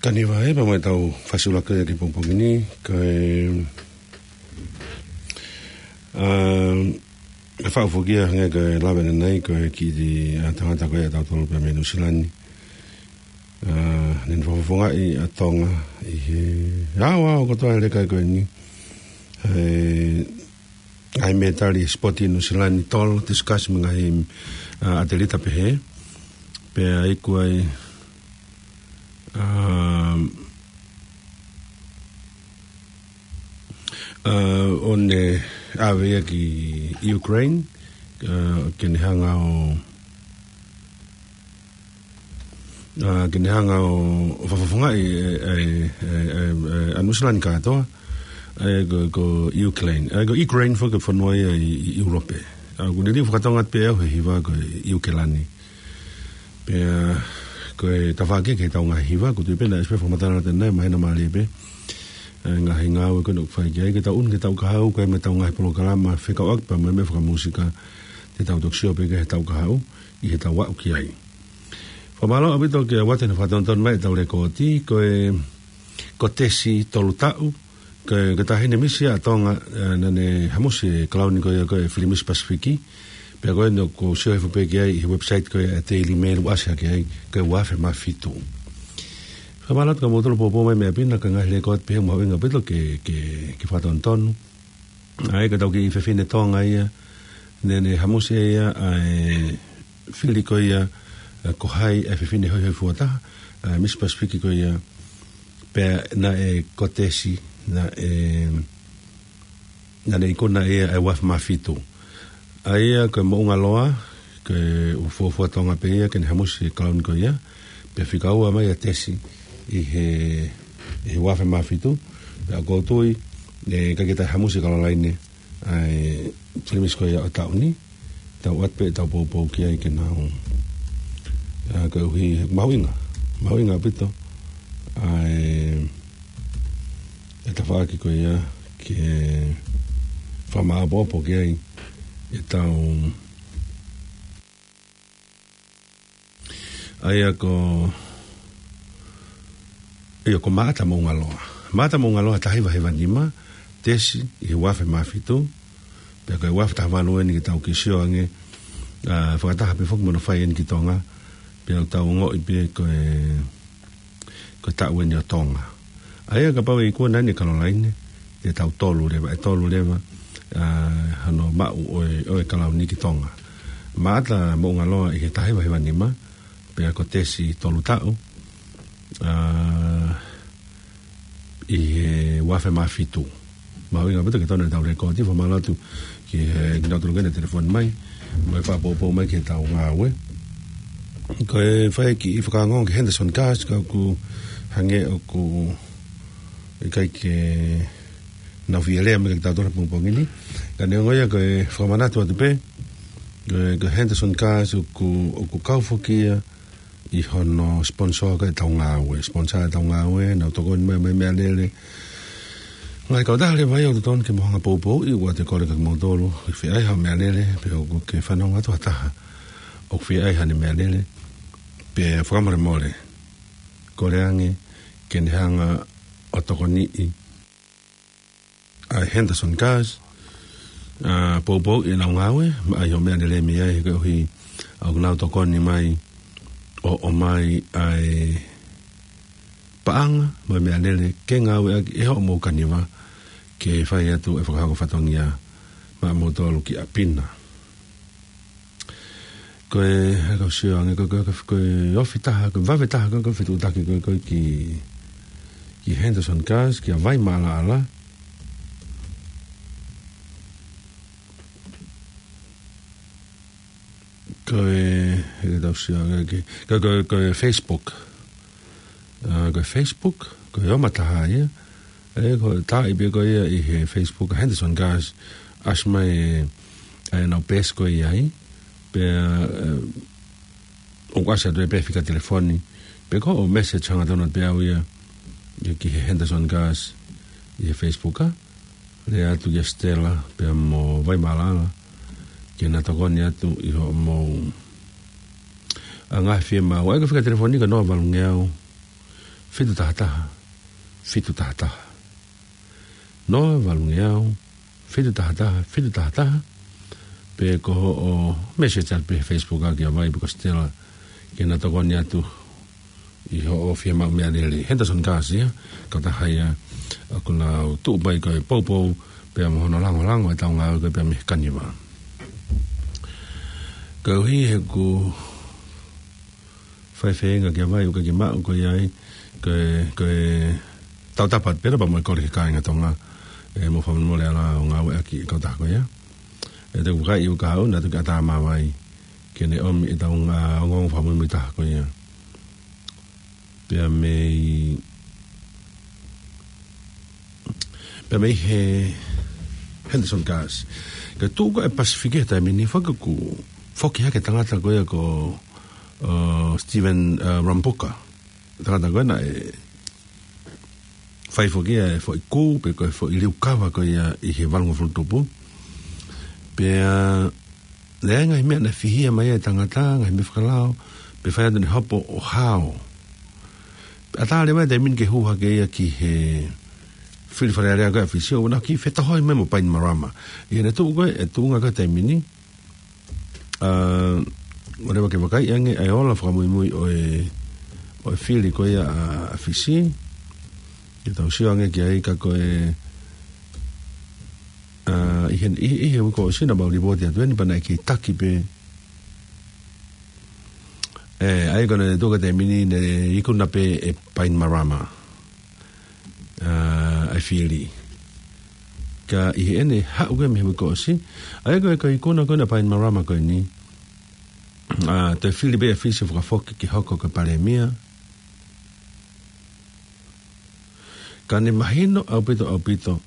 Tani vahe, pea mo ʻetau fasiulaki ki he pongipongi ni, ko e, ā, ʻe faʻu foki ia hangē ko e lave ʻanenai, ko e kiʻi, ā, tangata ko ia ʻatautolu pea mei Nuʻusila ni. Ā, naʻá ne fakafofongaʻi ʻa Tonga ʻi he, ā, ʻa, ʻo kotoa e leka ko eni. ʻE, ngaahi mētali sipoti Nuʻusila ni tolo, discus mo e ngaahi, ā, ʻatelita pehē. Pea iku ai, ā, ā, ʻo ne ʻave ia ki Ukraine, ā, ke ne hanga ʻo ā, ke ne hanga ʻo, ʻo fakafofongaʻi e, e, e, e, e, ʻa Nuʻusila ni kātoa, e, ko, ko Ukraine. E, ko Ukraine foki ko e fonua ia ʻi, ʻi ʻIulope. Ā, ʻoku liliu fakatonga pē au he hiva ko ʻIukelani. Pea, ko e tafaʻaki ki heʻetau ngaahi hiva, ʻoku ou tui pē naʻe ʻosi pē fakamatala atu ʻanenai, mahino mālie pē. E, ngaahi ngāue ko eni ʻoku fai ki ai, ke tau ʻunu ki he taʻu kahaʻu, ko e meʻa ʻetau ngaahi polokalama fekauʻaki pea mo e meʻa fakamūsika, te tau toki sio pē ki he taʻu kahaʻu, ʻi heʻetau aʻu ki ai. Fakamālō ʻaupito kia Uate naʻá ne fakatonutonu mai ʻetau lekooti, ko e, ko Tesi tolu taʻu, ko e, ko e taʻahine misi ʻa Tonga, e, naʻá ne hamusi e kalauni ko ia ko e Fili Misi Pasifiki, pea ko eni ʻoku ou sio hifo pē ki ai ʻi he website ko ia e Daily Mail ʻoku ʻasi hake ai, ko e ua afe mā fitu. Fakamālō atu kia moutolu ʻoku poupou mai meʻa pina, ko e ngaahi lekooti pē ia mahuʻinga ʻaupito ke, ke, ke fakatonutonu. ʻA ia ko ʻetau kiʻi fefine Tonga ia, naʻá ne hamusi ia ʻa e fili ko ia, ā, ko hai ʻa e fefine hoihoifua taha, ā, Miss Pacific ko ia, pea naʻe ko Tesi, naʻe, naʻá ne ikuna ia ʻa e ua afe mā fitu. ʻA ia ko e moʻunga loa, ko e ʻū fuofua Tonga pē ia ke ne hamusi e kalauni ko ia, pea fika ua mai ʻa Tesi ʻi he, ʻi he ua afe mā fitu, pea ʻoku ou tui, ʻe, ʻikai ke toe hamusi ʻa Kalolaine ʻa e Fili Misi ko ia ʻo e taʻu ni, tau ʻoatu pē ʻetau poupou ki ai ke nau, ā, koeʻuhi he mahuʻinga, mahuʻinga ʻaupito ʻa e, e tafaʻaki ko ia ke fakamāʻopoʻopo ki ai ʻetau ʻA ia ko, ʻa ia ko Maʻata Moʻungaloa. Maʻata Moʻungaloa taha hiva hiva nima, Tesi ʻi he ua afe mā fitu, pea ko e ua afe taha valu eni ke tau kiʻi sio ange, ā, fakataha pē foki mo hono fai eni ki Tonga, pea ʻoku tau ongoʻi pē ko e, ko e taʻu eni ʻo Tonga. ʻA ia kapau ʻe ikuna eni ʻe Kalolaine, ʻe tau tolu leva, ʻe tolu leva, ā, hano maʻu ʻo e, ʻo e kalauni ki Tonga. Maʻata Moʻungaloa ʻi he taha hiva hiva nima, pea ko Tesi tolu taʻu, ā, ʻi he ua afe mā fitu. Mahuʻinga ʻaupito ke tonu ʻetau lekooti, fakamālō atu ki he, kinautolu ko ē naʻe telefoni mai, mo e fakapoupou mai ki heʻetau ngāue. Ko e fai e kiʻi fakaongoongo ki he Henderson Gas, ka ʻoku hangē ʻoku ʻikai ke nau fie lea mai kiate kitautolu he pongipongi ni. Ka neongo ia ko e fakamanatu atu pē, ko e, ko e Henderson Gas ʻoku, ʻoku kau foki ia ʻi hono sponsor ko ē ʻetau ngāue. Sponsor ʻetau ngāue, nau tokoni mai mo e meʻalele. Ngaahi kautaha leva ia ʻoku totonu ke mou hanga ʻo poupouʻi, ʻoua te u kole kia kimoutolu ʻoku fie ʻai haʻo meʻalele, pe ʻoku ke fanongo atu ha taha ʻoku fie ʻai haʻane meʻalele, pea fakamolemole, kole ange ke ne hanga ʻo tokoniʻi ʻa e Henderson Gas, ā, poupouʻi ʻenau ngāue, mo ʻai hoʻo meʻalele mei ai, he koeʻuhi ʻoku nau tokoni mai ʻo ʻomai ʻa e paʻanga mo e meʻalele ke ngāueʻaki ʻe hoʻomou kaniva ke fai atu e fakahoko fatongia maʻamoutolu ki ʻapi na. Ko e, ʻa ia kau sio ange, ko e, ko e, ko e ofi taha, ko e vave taha, ko e, ko e fetuʻutaki, ko e, ko e ki, ki Henderson Gas, kia Vai Maʻalaʻala. Ko e, ʻe kau sio ange ki, ko e, ko e, ko e Facebook. Ā, ko e Facebook, ko e ʻomai taha ia. ʻE, ko e taaʻi pē ko ia ʻi he Facebook, Henderson Gas, ʻasi mai e, ʻenau peesi ko ia ai. Pea, ē, ʻoku ʻasi atu e pē fika telefoni. Pe ko hoʻo message hangatonu pē au ia, ia ki he Henderson Gas, ʻi he Facebook, ā. Lea atu kia Stella, pea mo Vai Maʻalaʻala, ke na tokoni atu ʻi hoʻomou, ā, ngaahi fiemaʻu. ʻA ia ko e fika telefoni ko e noa valungeau, fitu taha taha, fitu taha taha. Noa valungeau, fitu taha taha, fitu taha taha. Pe ko hoʻo message atu pē he Facebook ʻa Kiavai pe ko Stella, ke na tokoni atu ʻi hoʻo fiemaʻu meʻalele. Henderson Garcia, kautaha ia ʻoku nau tuʻu mai ko e poupou, pea mo hono langolango ʻetau ngāue ko ē pea mei he kaniva. Koeʻuhi he ʻoku fai feinga Kiavai ʻoku ʻikai ke maʻu ko ia ai, ko e, ko e tautapa pē pea mo e kole ki he kāinga Tonga, ʻe mo fakamolemole ʻa e lau ngāueʻaki ʻa e kautaha ko ia. ʻE te u vakai ʻoku haʻu na tuki ata mavai, ke ne ʻomi ʻetau ngā ongoongo fakamuimui taha ko ia. Pea mei, pea mei he Henderson Garcia. Ka tuʻu ko e Pasifiki he taimi ni, fakaku, foki hake tangata ko ia ko, uh, Stephen, uh, Rabuka. Tangata ko ena ʻe fai foki ia e foʻi kū, pe ko e foʻi liukava ko ia ʻi he valungofulu tupu. Pea, uh, lea ngaahi meʻa naʻe fihia mai ai e tangata, ngaahi meʻa fakalao, pea fai atu ʻene hopo ʻo hao. Pea tā leva e taimi ni ke hū hake ia ki he fili Fale Alea ko ē ʻa Fisi, ʻo na ki fetohoi mai mo Bainimarama. ʻI heʻene tuʻu ko ē, e tuʻunga ko ē taimi ni, ʻa, ʻo leva ke vakai ange ʻa e ola fakamuimui ʻo e, ʻo e fili ko ia ʻa, ʻa Fisi. Ke tau sio ange ki ai ka ko e, ʻa, ʻi he, ʻi, ʻi he uike kuo ʻosi naʻa mau lipooti atu eni pea naʻe kei taki pē. ʻE, ʻa ia ko ʻene tuʻu ko ē taimi ni ne ikuna pē ʻe Bainimarama ʻa, ʻa e fili. Ka ʻi heʻene haʻu ko ē mei he uike kuo ʻosi, ʻa ia ko e, ko e ikuna ko ena ʻa Bainimarama ko eni, ʻa, toe fili pē ʻe Fisi fakafoki ke hoko ko e palēmia. Ka ne mahino ʻaupito, ʻaupito,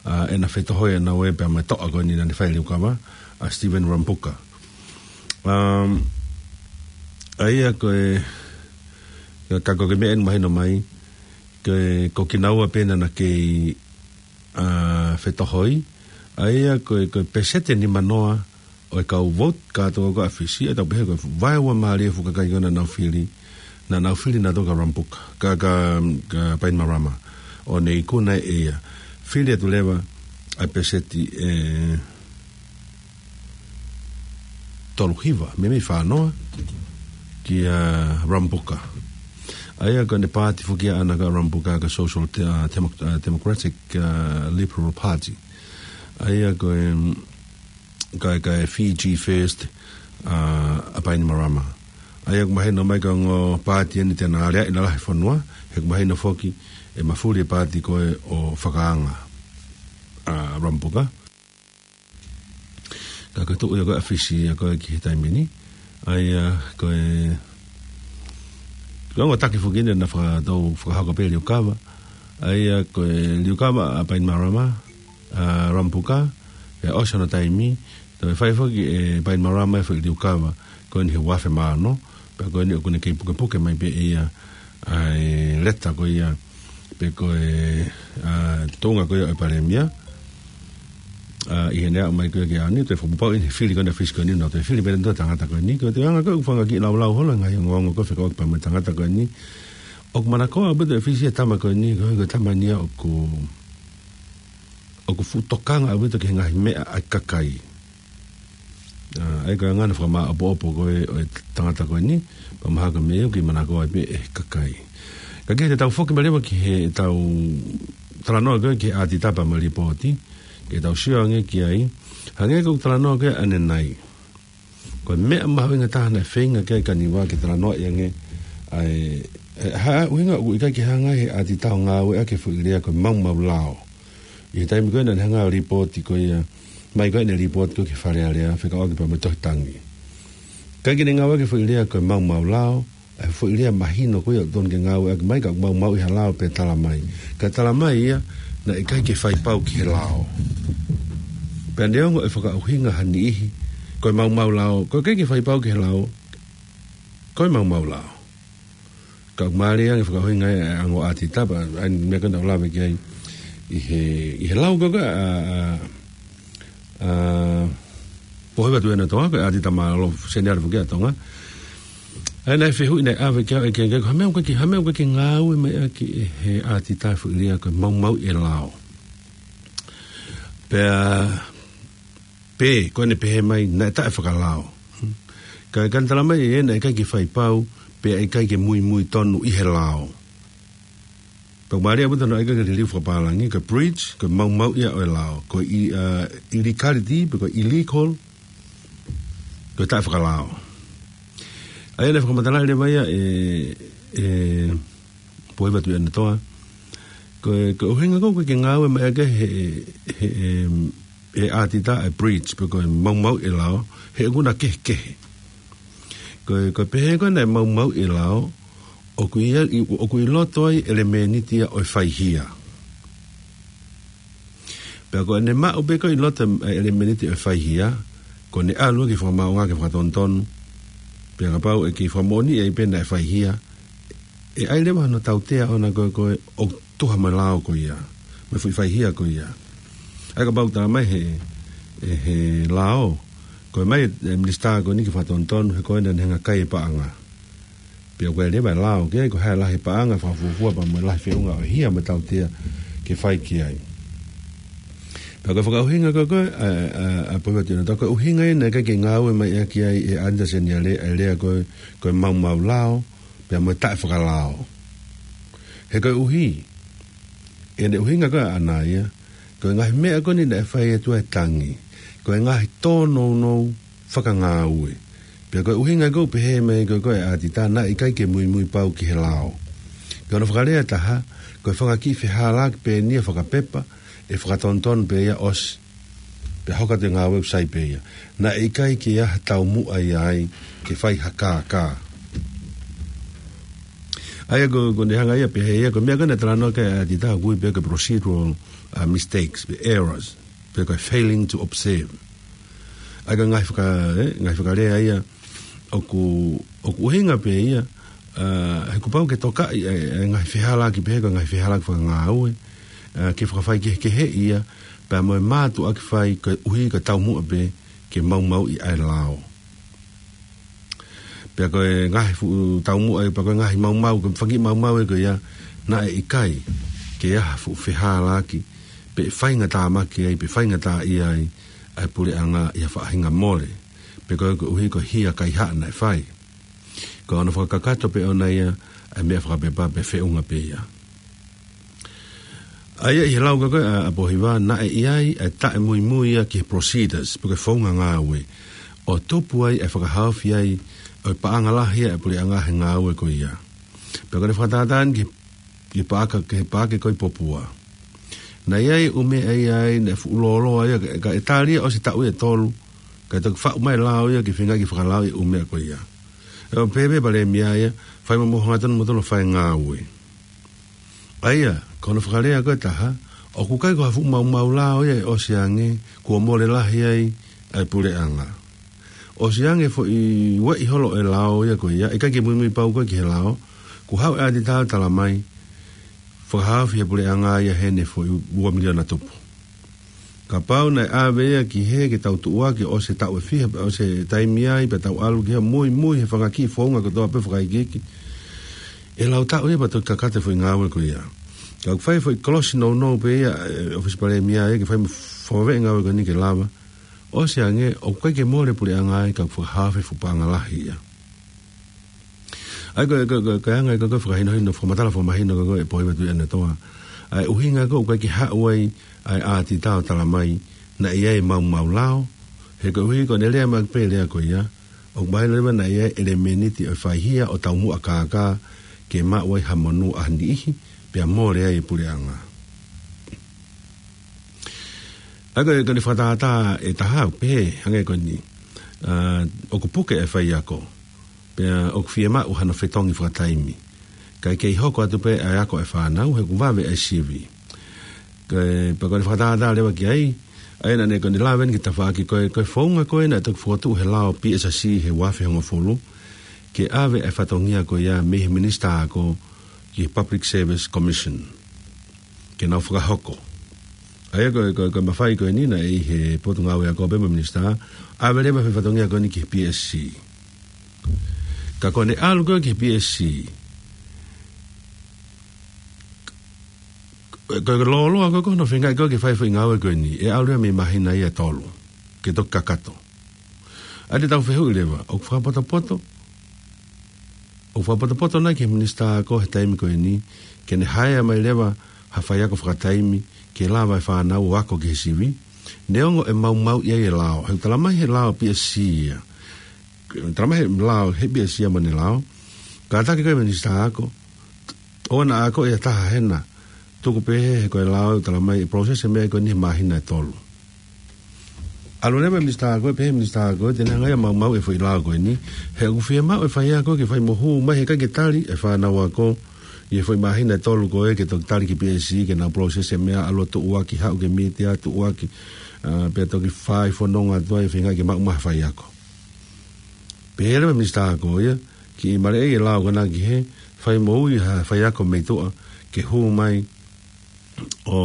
ʻa, ʻena fetohoi ʻa naua pea mo e toʻa ko eni naʻa ne fai e liukava, ʻa Stephen Rabuka. Um, ʻa ia ko e, ka ko e meʻa ʻeni mahino mai, ko e, ko kinaua pē naʻa na kei, ʻa, fetohoi, ʻa ia ko e, ko e peseti ʻe nimanoa ʻo e kau vote kātoa ko ē ʻa Fisi, ʻe tau pehē ko e vaeua mālie fuʻu kakai ko ē naʻa nau fili, naʻa nau fili nautolu kia Rabuka, kia, kia, kia Bainimarama, ʻo ne ikuna ʻe ia. Fili atu leva ʻa e peseti ʻe tolu hiva, meimei fā noa, kia Rabuka. ʻA ia ko ʻene paati foki ʻaʻana kia Rabuka ko e Social De-, ʻa, Demo-, ʻa, Democratic, ʻa, Liberal Party. ʻA ia ko e, ko e, ko e Fiji First, ʻa, ʻa Bainimarama. ʻA ia ʻoku mahino mai ko e ongo paati ʻeni te na aleaʻi ʻi he lalahi fonua, he ʻoku mahino foki ʻe mafuli e paati ko ē ʻo fakaanga ʻa Rabuka. Ka ko e tuʻu ia ko ē ʻa Fisi ia ko ē ki he taimi ni. ʻA ia ko e, ko e ongo taki foki ʻeni naʻa faka-, tau fakahoko pē liukava. ʻA ia ko e liukava ʻa Bainimarama, ʻa Rabuka, ʻe ʻosi hono taimi, toe fai foki ʻe Bainimarama e foʻi liukava ko eni he uafe mano, pea ko eni ʻoku ne kei pukepuke mai pē ʻe ia ʻa e leta ko ia, pe ko e, ʻa, tuʻunga ko ia ʻo e palēmia, ʻa, ʻi heʻene aʻu mai ko ia ki he ʻaho ni, toe fakapapauʻi ʻeni he fili ko eni ʻa Fisi ko eni, naʻa toe fili pē ʻeni ʻa e tangata ko eni, ko e anga ko ē ʻoku fanga kiʻi laulau holo, ngaahi ongoongo ko ē fekauʻaki pea mo e tangata ko eni. ʻOku manakoa ʻaupito ʻe Fisi e tama ko eni, ko e, ko e tama eni ia ʻoku ʻoku fuʻu tokanga ʻaupito ki he ngaahi meʻa ʻa e kakai. ʻA, ʻa ia ko e anga ʻena fakamāʻopoʻopo ko ē ʻo e tangata ko eni, pea mahalo ko e meʻa ia ʻoku kei manakoa ai pē ʻe he kakai. Ka ke te tau foki mai leva ki heʻetau talanoa ko ē ki he ʻātitapa mo e lipooti, ke tau sio ange ki ai, hangē ko ʻeku talanoa ko ē ʻanenai. Ko e meʻa mahuʻinga taha naʻe feinga ki ai e kaniva ke talanoaʻi ange, ʻa e, ʻa e, ha ʻuhinga ʻoku ʻikai ke hanga ʻe he ʻātitapa ʻo ngāueʻaki e foʻi lea ko e maumau lao. ʻI he taimi ko ē naʻa ne hanga ʻo lipooti ko ia, mai ko ē ʻene lipooti ko ē ki he Fale Alea, fekauʻaki pea mo e Tohi Tangi. ʻIkai ke ne ngāueʻaki e foʻi lea ko e maumau lao, ʻa e foʻi lea mahino ko ia ʻoku totonu ke ngāueʻaki mai ka ʻoku maumauʻi ha lao pea tala mai. Ka tala mai ia, naʻe ʻikai ke fai pau ki he lao. Pea neongo e fakaʻuhinga ha niʻihi, ko e maumau lao, ko e ʻikai ke fai pau ki he lao, ko e maumau lao. Ka ʻoku mālie ange e fakaʻuhinga e ongo ʻātitapa, ʻa e meʻa ko ē naʻa ku lave ki ai ʻi he, ʻi he lau ko ē, ʻa, ʻa, ʻa, Pōhiva Tuʻiʻonetoa, ko e ʻātitapa mālōlō seniale foki ʻa Tonga. ʻA ia naʻe fehuʻi naʻe ʻave ki ai ʻe Kengeke, ko e hā e meʻa ʻoku ʻikai ke, hā e meʻa ʻoku ʻikai ke ngāue mai ʻaki ʻe he ʻātita e foʻi lea ko e maumauʻi e lao. Pea, pē, ko ʻene pehē mai, naʻe taʻefakalao. Ka, ka ne tala mai ʻe ia naʻe ʻikai ke fai pau, pea ʻikai ke muimui tonu ʻi he lao. Pea ʻoku mālie ʻaupito hono ʻai ʻaki e liliu fakapālangi, ko e breach, ko e maumauʻi ia ʻo e lao. Ko e i-, ʻa, illegality, pe ko e illegal, ko e taʻefakalao. ʻA ia naʻe fakamatalaʻi leva ia ʻe, ʻe Pohiva Tuʻiʻonetoa. Ko e, ko e ʻuhinga ko ē ʻoku ʻikai ke ngāue mai ʻaki ʻe he, he, he, he ʻātita e breach, pe ko e maumauʻi e lao, he ʻokú na kehekehe. Ko e, ko e pehē ko ē naʻe maumauʻi e lao, ʻoku ʻi ai, ʻoku ʻi loto ai ʻelemēniti ia ʻo e faihia. Pea ko ʻene maʻu pē ko ē ʻi loto e ʻelemēniti ʻo e faihia, ko ʻene ʻalu ki he fakamaʻunga ke fakatonutonu. Pea kapau ʻe kei fakamoʻoniʻi ai pē naʻe faihia, ʻe ʻai leva hono tautea ʻoʻona ko ē, ko e ʻoku tuha mo e lao ko ia, mo e foʻi faihia ko ia. ʻA ia kapau tala mai he, ʻe he lao, ko e ʻomai e minisitā ko eni ke fakatonutonu he ko ena naʻe hanga ʻo kai e paʻanga. Pea ko e leva e lao, ke ko e hā e lahi paʻanga, fakafuofua pea mo e lahi feʻunga ʻo e hia mo e tautea ke fai ki ai. Pea ko e fakaʻuhinga ko ē, ko e, ʻa, ʻa, ʻa Pohiva Tuʻiʻonetoa, ko e ʻuhinga ia naʻe ʻikai ke ngāue mai ʻaki ai ʻe he ʻātita seniale ʻa e lea ko e, ko e maumau lao, pea mo e taʻefakalao. He koeʻuhi, ʻene ʻuhinga ko ē ʻaʻana ia, ko e ngaahi meʻa ko eni naʻe fai atu ai e tangi, ko e ngaahi tōnounou fakangāue. Pea ko e ʻuhinga ko ē ʻoku pehē mai ko ē, ko e ʻātita naʻe ʻikai ke muimui pau ki he lao. Ko hono fakalea ʻe taha, ko e fanga kiʻi fehālaaki pē eni ia fakapepa, ʻe fakatonutonu pē ia ʻosi. Pea hoko atu e ngāue ʻoku sai pē ia. Naʻe ʻikai ke ʻi ai ha taumuʻa ia ai ke fai ha kākā. ʻA ia ko, ko ʻene hanga ia ʻo pehē ia, ko e meʻa ko ē naʻe talanoa ki ai e ʻātita ʻoku ui pē ko e procedural, uh, mistakes, pe errors, pe ko e failing to observe. ʻA ia ko e ngaahi faka-, ē, ngaahi fakalea ia, ʻoku, ʻoku ʻuhinga pē ia, ʻa, he kuo pau ke tokaʻi e, e ngaahi fehālaaki pehē ko e ngaahi fehālaaki fakangāue, ʻa, ke fakafaikehekeheʻi ia, pea mo e mātuʻaki fai koeʻuhi ko e taumuʻa pē ke maumauʻi ʻa e lao. Pea ko e ngaahi fuʻu taumuʻa ia, pea ko e ngaahi maumau, ko e fanga kiʻi maumau ia ko ia, naʻe ʻikai ke ʻi ai ha fuʻu fehālaaki, pe faingatāmaki ai, pe faingataʻaʻia ai ʻa e puleʻanga ʻi ha faʻahinga mole. Pe ko e, koeʻuhi ko e hia kaihaʻa naʻe fai. Ko hono fakakakato pē ʻoʻona ia ʻa e meʻa fakapepa pea feʻunga pē ia. ʻA ia ʻi he lau ko ē ʻa, ʻa Pohiva, naʻe ʻi ai ʻa e taʻemuimui ia ki he procedures, pe ko e founga ngāue, ʻo tupu ai ʻa e fakahaofi ai ʻo e paʻanga lahi ʻa e puleʻanga he ngāue ko ia. Pea ko ʻene fakatātā eni ki he, ki he paʻake, ki he paʻake ko ē ʻi Popua. Naʻe ʻi ai e ʻū meʻa ia ai, naʻe fuʻu lōloa ia, ka, ka ʻe tali ia ʻosi e taʻu ʻe tolu, kae toki faʻu mai e lao ia ke feinga ke fakalaoʻi e ʻū meʻa ko ia. ʻE ʻo pehē pē ʻe he Palēmia ia, fai mo mo hangatonu mo tolo fai ngāue. ʻA ia, ko hono fakalea ko ē ʻe taha, ʻoku ʻikai ko ha fuʻu maumau lao ia ʻe ʻosi ange, kuo mole lahi ai ʻa e puleʻanga. ʻOsi ange e foʻi ueʻi holo e lao ia ko ia, ʻikai ke muimui pau ko ē ki he lao, kuo haʻu e ʻātita ʻo tala mai, fakahaofi he puleʻanga ia heʻene foʻi ua miliona tupu. Kapau naʻe ʻave ia ki hē ke tau tuʻuaki ʻosi e taʻu ʻe fiha, ʻosi e taimi ai, pea tau ʻalu ki hē ʻo muimui he fanga kiʻi founga kotoa pē fakaikiiki, ʻe lau taʻu ia pea toki kakato e foʻi ngāue ko ia. Ka ʻoku fai e foʻi kolosi nounou pē ia, ʻe, ʻOfisi Palēmia ia, ke fai mo fakaveʻi e ngāue ko eni ke lava. ʻOsi ange, ʻoku ʻikai ke mole e puleʻanga ai, ka ʻoku fakahaofi e fuʻu paʻanga lahi ia. ʻA ia ko e, ko e, ko e, ko e anga ia ko ē ʻo e fakahinohino, fakamatala fakamahino ko ē ʻa Pohiva Tuʻiʻonetoa. ʻA e ʻuhinga ko ē ʻoku ʻikai ke haʻu ai ʻa e ʻātita ʻo tala mai, naʻe ʻi ai e maumau lao, he koeʻuhi ko ʻene lea mai pē e lea ko ia, ʻoku mahino leva naʻe ʻi ai e ʻelemēniti ʻo e faihia ʻo taumuʻa kākā, ke maʻu ai ha monū ʻa ha niʻihi, pea mole ai e puleʻanga. ʻA ia ko e, ko ʻene fakatātā ʻe taha, pehē, hangē ko eni, ʻa, ʻoku puke e faiako, pea ʻoku fiemaʻu hano fetongi fakataimi. Kae kei hoko atu pē ʻa e ako ʻa e fānau, he ʻoku vave ʻa e sivi. Ko e, pea ko ʻene fakatātā leva ki ai, ʻa ia naʻa ne, ko ʻene lave eni ki he tafaʻaki ko ē, ko e founga ko ē naʻe toki fokotuʻu he lao P S C he ua afe hongofulu, ke ʻave ʻa e fatongia ko ia mei he Minisitā Ako ki he Public Service Commission. Ke nau fakahoko. ʻA ia ko e, ko e, ko e mafai ko eni naʻe ʻi he Potungāue Ako pē mo e Minisitā, ʻave leva e fatongia ko eni ki he P S C. Ka ko ʻene ʻalu ko ē ki he P S C, ko e lōloa ko ē ko hono feingaʻi ko ē ke fai e foʻi ngāue ko eni, ʻe ʻalu ia mei māhina ia ʻe tolu ke toki kakato. ʻA ia te tau fehuʻi leva, ʻoku fakapotopoto, ʻoku fakapotopoto nai ki he minisitā ako he taimi ko eni ke ne haea mai leva ha faiako fakataimi ke lava e fānau ʻo ako ki he sivi, neongo ʻe maumauʻi ai e lao? He ʻoku talamai he lao P S C ia, talamai he lao he P S C ia mo ʻene lao. Kātaki ko e minisitā ako, ʻoua naʻa ako ia taha hena, tuku pē he, he ko e lao ʻoku talamai ʻe process e meʻa ko eni he māhina ʻe tolu. ʻAlu leva e minisitā ako, pehē minisitā ako, te ne hanga ia ʻo maumauʻi e foʻi lao ko eni, he ʻoku fiemaʻu e faiako ke fai mo hū mai he ʻikai ke tali e fānau ako ʻi he foʻi māhina ʻe tolu ko ē ke toki tali ki P S C ke nau process e meʻa, ʻalu ʻo tuʻuaki, haʻu ke mītia, tuʻuaki, ʻa, pea toki fai fononga atu ai, feingaʻi ke maʻu mai ha faiako. Pehē leva e minisitā ako ia, kiʻi maleʻei e lao ko ena ki he fai mo ui ha faiako mei tuʻa ke hū mai ʻo,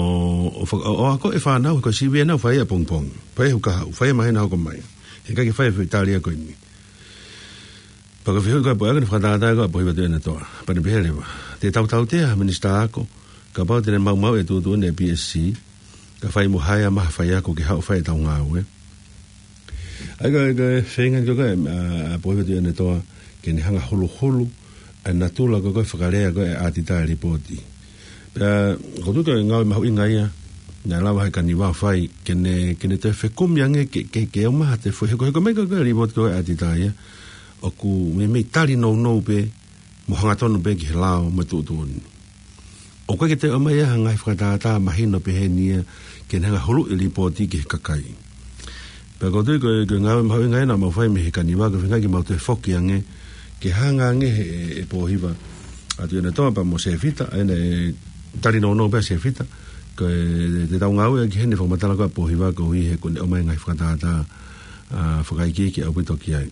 ʻo faka-, ʻo, ʻo ako e fānau he ko e sivi ena ʻoku fai ia ʻapongipongi. Fai ia he ʻoku kahaʻu, fai ia he māhina hoko mai. He ʻikai ke fai e foʻi tali ia ko eni. Pea ko e fehuʻi ko ē ʻa Pohiva, ko ʻene fakatātā ko ē ʻa Pohiva Tuʻiʻonetoa. Pea ne pehē leva, te tau tautea ha minisitā ako, kapau te ne maumauʻi e tuʻutuʻuni ʻa e P S C, kae fai mo haea mai ha faiako ke haʻu ʻo fai ʻetau ngāue. ʻA ia ko e, ko e feinga ko ē ʻa, ʻa Pohiva Tuʻiʻonetoa ke ne hanga ʻo huluhulu ʻa e natula ko ē ko e fakalea ko ē ʻa e ʻatitā ʻi he lipooti. Pea ʻoku ou tui ko e ngāue mahuʻinga ia naʻe lava ʻe he Kaniva ʻo fai ke ne, ke ne toe fekumi ange ke, ke, ke ʻomai ha toe foʻi, he ko e, he ko e meʻa ko ē ko e lipooti ko ē ʻa e ʻatitā ia ʻoku meimei tali nounou pē mo hangatonu pē ki he lao mo e tuʻutuʻuni. ʻOku ʻikai ke toe ʻomai ha ngaahi fakatātā mahino pehē ni ia ke ne hanga ʻo huluʻi e lipooti ki he kakai. Pea ʻoku ou tui ko e, ko e ngāue mahuʻinga ia naʻa mau fai mei he Kaniva, ko e feinga ke mau toe foki ange ke hanga ange ʻe, ʻe Pohiva ʻa Tuʻiʻonetoa pea mo Sefita, ʻa ia naʻe tali nounou pē ʻa Sefita, ko e, te tau ngāueʻaki heni e fakamatala ko ē ʻa Pohiva koeʻuhi he ʻoku ne ʻomai e ngaahi fakatātā, ʻa, fakaikiiki ʻaupito ki ai.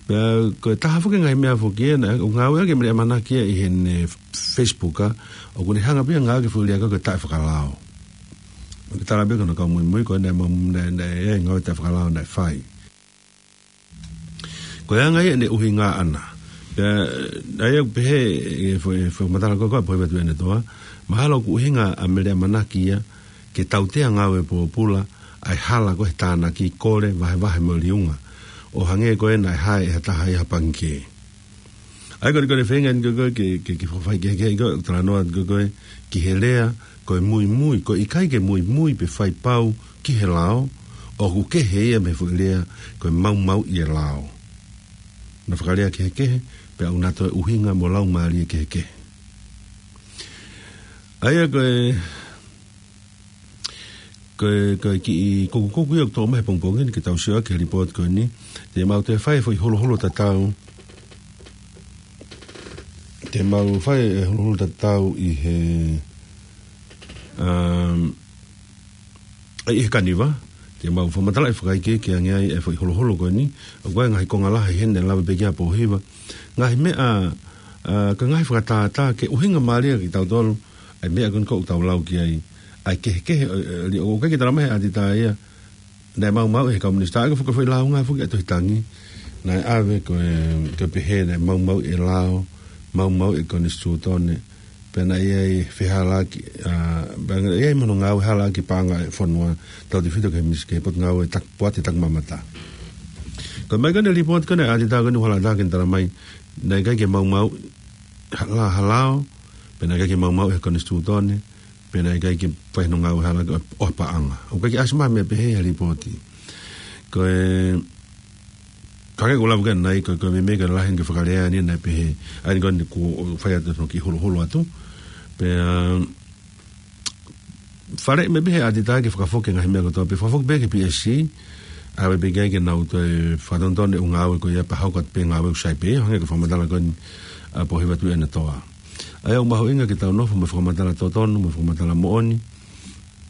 Pea ko e taha foki e ngaahi meʻa foki ena, ʻoku ngāueʻaki e meʻa ʻamanaki ia ʻi heʻene Facebook, ʻa, ʻoku ne hanga pē ia ʻo ngāueʻaki e foʻi lea ko ē ko e taʻefakalao. ʻOku tala pē ko hono kau muimui ko ē naʻe mau-, naʻe, naʻe, ʻe, ngāue taʻefakalao naʻe fai. Ko e anga ia ʻene ʻuhinga ʻana. Pea, ʻa ia ʻoku pehē ʻe he fo-, ʻe he fakamatala ko ē ko ē ʻa Pohiva Tuʻiʻonetoa, mahalo ʻoku ʻuhinga ʻa e meʻa ʻamanaki ia ke tautea ngāue pōpula ʻa e hala ko ē he tānaki, kole, vahevahe mo e liunga, ʻo hangē ko ē naʻe hae ʻe ha taha ia ha pangikē. ʻA ia ko e, ko e feinga eni ko ē ko ē ke, ke, ke fakafaikehekeheʻi ko ē, talanoa atu ko ē ko ē ki he lea ko e muimui, ko e ʻikai ke muimui pe fai pau ki he lao, ʻoku kehe ia mei he foʻi lea ko e maumauʻi e lao. Naʻe fakalea kehekehe, pea ʻoku na toe ʻuhinga mo laumālie kehekehe. ʻA ia ko e, ko e, ko e kiʻi kukukuku ia ʻoku toʻo mai he pongipongi ni ke tau sio ki he lipooti ko eni. Te mau toe fai e foʻi huluhulu tatau. Te mau fai e huluhulu tatau ʻi he, um, ʻi he Kaniva. Te mau fakamatalaʻi fakaikiiki ange ai e foʻi huluhulu ko eni. ʻOku ʻi ai e ngaahi konga lahi heni naʻe lave pē ki ai ʻa Pohiva. Ngaahi meʻa, ʻa, ko e ngaahi fakatātā ke ʻuhinga mālie kiate kitautolu ʻa e meʻa ko eni ʻoku tau lau ki ai, ʻa e kehekehe, ʻo, ʻo, ʻo, ʻoku ʻikai ke talamai he ʻatitā ia naʻe maumauʻi ʻe he kau minisitā, ʻa ia ko e foʻi, foʻi lāunga foki ʻa e tohi tangi naʻe ʻave ko e, ko e pehē naʻe maumauʻi e lao, maumauʻi e konisitūtone, pea naʻe ʻi ai e fehalaaki, ʻa, pea naʻe ʻi ai mo hono ngāue halaaki paʻanga e fonua, tautefito ki he mis-, ki he potungāue tak-, poate takimamata. Ko e ʻomai ko eni e lipooti ko eni ʻa e ʻatitā ko eni ʻoku hala atu ke ne talamai naʻe ʻikai ke maumauʻi ha lao, ha lao, pea naʻe ʻikai ke maumauʻi ʻe he konisitūtone, pea naʻe ʻikai ke fai hono ngāue halaaki ʻo, ʻo ha paʻanga. ʻOku ʻikai ke ʻasi mai ha meʻa pehē he lipooti. Ko e, ka ke ʻoku lava ke nai, ko e, ko e meimei ko e lahi ange e fakalea ni naʻe pehē, ʻa ia ko eni ʻoku fai atu hono kiʻi huluhulu atu. Pea, faleʻi mai pē ʻe he ʻatitā ke fakafoki e ngaahi meʻa kotoa pē, fakafoki pē ki he P S C, ʻave pē ki ai ke nau toe fakatonutonu e ʻū ngāue ko ia pea hoko atu pē e ngāue ʻoku sai pē, hangē ko e fakamatala ko eni ʻa Pohiva Tuʻiʻonetoa. ʻA ia ʻoku mahuʻinga ke tau nofo mo e fakamatala totonu, mo e fakamatala moʻoni.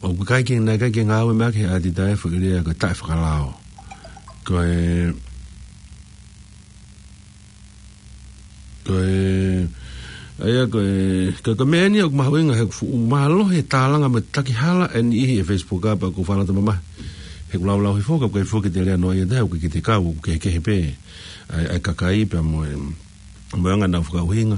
ʻOku ʻikai ke, naʻe ʻikai ke ngāue mai ʻaki ʻe he ʻatitā e foʻi lea ko e taʻefakalao. Ko e, ko e, ʻa ia ko e, ko e, ko e meʻa eni ʻoku mahuʻinga he ʻoku fuʻu mālohi e tālanga mo e takihala ʻa e niʻihi he Facebook, pea ʻoku ou fakalata mamahi he ʻoku laulau hifo, ka ʻoku ʻikai foki ke te lea noa ia, ʻoku ʻikai ke te kau, ʻoku kehekehe pē ʻa e, ʻa e kakai pea mo e, mo e anga ʻenau fakaʻuhinga.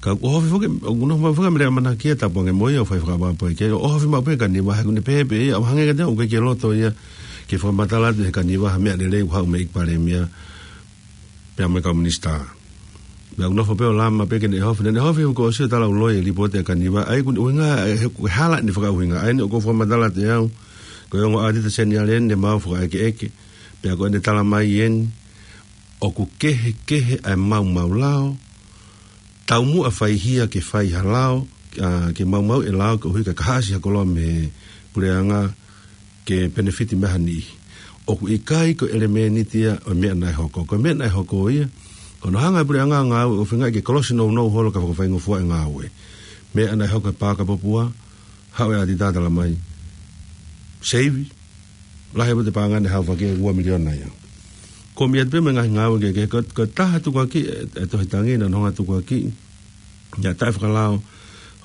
Ka ʻoku ʻohofi foki, ʻoku nofo maʻu foki ʻa Mele ʻAmanaki ia, tapu ange mo ia ʻoku fai fakapapau ki ai, ʻoku ʻohofi maʻu pē ʻe Kaniva he ʻoku ne pehē pē ia, ʻoku hangē kiate au ʻoku ʻikai ke loto ia ke fakamatala atu ʻe Kaniva ha meʻa lelei ʻoku haʻu mei he ʻEiki Palēmia pea mo e kau minisitā. Pea ʻoku nofo pē ʻo lama pē ke ne ʻohofi, ne ʻohofi ʻoku ʻosi ʻo tala ʻuloʻi e lipooti ʻa Kaniva, ʻa ia ʻoku ne ʻuhinga he, he hala ʻene fakaʻuhinga, ʻa ia ʻoku ou fakamatala atu ʻe au, ko e ongo ʻātita seniale ʻeni ne mau fakaʻekeʻeke, pea ko ʻene tala mai ʻeni, ʻoku kehekehe ʻa e maumau lao, taumuʻa faihia ke fai ha lao, ʻa, ke maumauʻi e lao koeʻuhi ka ka haʻasi ha koloa mei he puleʻanga ke penefiti mei ha niʻihi. ʻOku ʻikai ko e ʻelemēniti ia ʻo e meʻa naʻe hoko. Ko e meʻa naʻe hoko ia, ko hono hanga ʻe he puleʻanga ʻo ngāue ʻo feingaʻi ke kolosi nounou holo ka fakafaingofuaʻi e ngāue. Meʻa naʻe hoko he Paaka Popua, haʻu e ʻātita tala mai, seivi, lahi ʻaupito e paʻanga naʻe haʻu, fakaʻekeʻeke ua miliona ia. Ko e meʻa pē mo e ngaahi ngāue kehekehe, ko, ko e taha tukuakiʻi ʻe, ʻe Tohi Taʻangi, naʻe hanga ʻo tukuakiʻi ʻa e taʻefakalao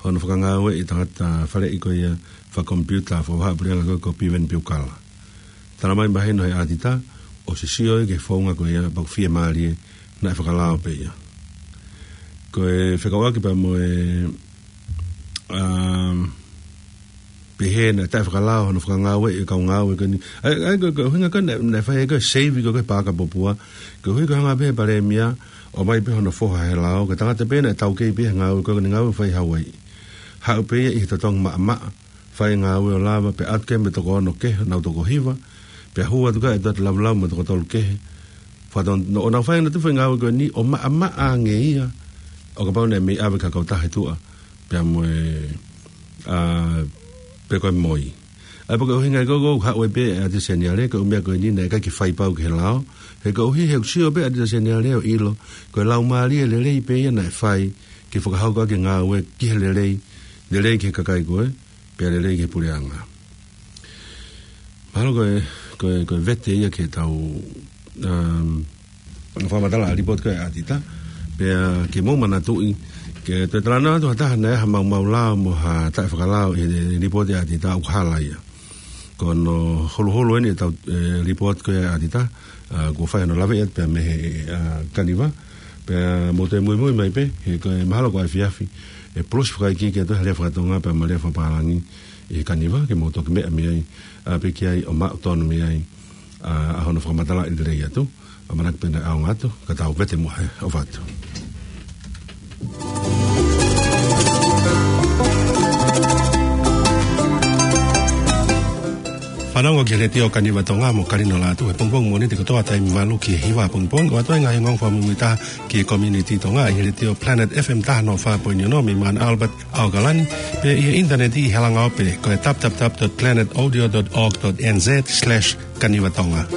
hono fakangāueʻi e tangata faleʻi ko ia fakakomipiuta, fakavahaʻapuleʻanga ko, ko Piveni Piukala. Tala mai mahino ʻe he ʻātita, ʻosi sio ia ki he founga ko ia, pea ʻoku fiemālie naʻe fakalao pē ia. Ko e fekauʻaki pea mo e, um, pehē naʻe taʻefakalao hono fakangāueʻi e kau ngāue ko eni. ʻA ia, ʻa ia ko e, ko e ʻuhinga ko ē naʻe, naʻe fai ai ko e seivi ko ē he Paaka Popua, koeʻuhi ko e hanga pē ʻe he Palēmia ʻo ʻomai pē hono foha he lao, ko e tangata pē naʻe taukei pē he ngāue ko ē, ko ʻene ngāue fai Hauaiʻi. Haʻu pē ia ʻi he totongi maʻamaʻa, fai e ngāue ʻo lava, pea ʻatu ki ai mo e toko ono kehe, nau toko hiva, pea hū atu ki ai e toʻa ʻe laulava mo e toko tolu kehe. Fakaton-, ʻo nau fai ʻenau tufa e ngāue ko eni ʻo maʻamaʻa ange ia, ʻo kapau naʻe mei ʻave ki ha kautaha ʻi tuʻa, pea mo e, ʻa, pe ko e moi. ʻA ia pea ko e ʻuhinga ia ko ē ʻoku haʻu ai pē e ʻātita seniale, ko e ʻū meʻa ko eni naʻe ʻikai ke fai pau ki he lao, he koeʻuhi he ʻoku sio pē e ʻātita seniale ʻo ʻilo ko e laumālie lelei pē ia naʻe fai ke fakahoko ʻaki e ngāue ki he lelei, lelei ki he kakai ko ē, pea lelei ki he puleʻanga. Mahalo ko e, ko e, ko e vete ia ke tau, um, fakamatala ʻa e lipooti ko ē ʻa e ʻātita, pea ke mou manatuʻi, ke toe talanoa atu ha taha naʻe ʻi ai ha maumau lao mo ha taʻefakalao ʻi he lipooti ʻa e ʻātita, ʻoku hala ia. Ko hono huluhulu eni ʻetau, e, lipooti ko ē ʻa e ʻātita, ʻa, kuo fai hono laveʻi atu pea mei he, ʻa, Kaniva, pea mou toe muimui mai pē, he ko e mahalo ko e efiafi, ʻe pulusi fakaikiiki atu he lea faka-Tonga pea mo e lea fakapālangi ʻi he Kaniva, ke mou toki meʻa mei ai, ʻa, pea ki ai ʻo maʻu tonu mei ai, ʻa, ʻa hono fakamatalaʻi lelei atu, ʻamanaki pē naʻe ʻaonga atu, ka tau vete muʻa he ʻofa atu. Fanongo ki he Letiō Kaniva Tonga mo Kalino Lātū he pongipongi Mōnite kotoa taimi valu ki he hiva pongipongi, ʻo ʻoatu ai e ngaahi ongoongo fakamuimuitaha ki he community Tonga ʻi he Letiō Planet F M taha noa fā poini ono mei Mount Albert, ʻAokalani, pea ʻi he ʻinitaneti ʻi he langa ope ko e w w w dot planet audio dot org dot n z slash kaniva tonga.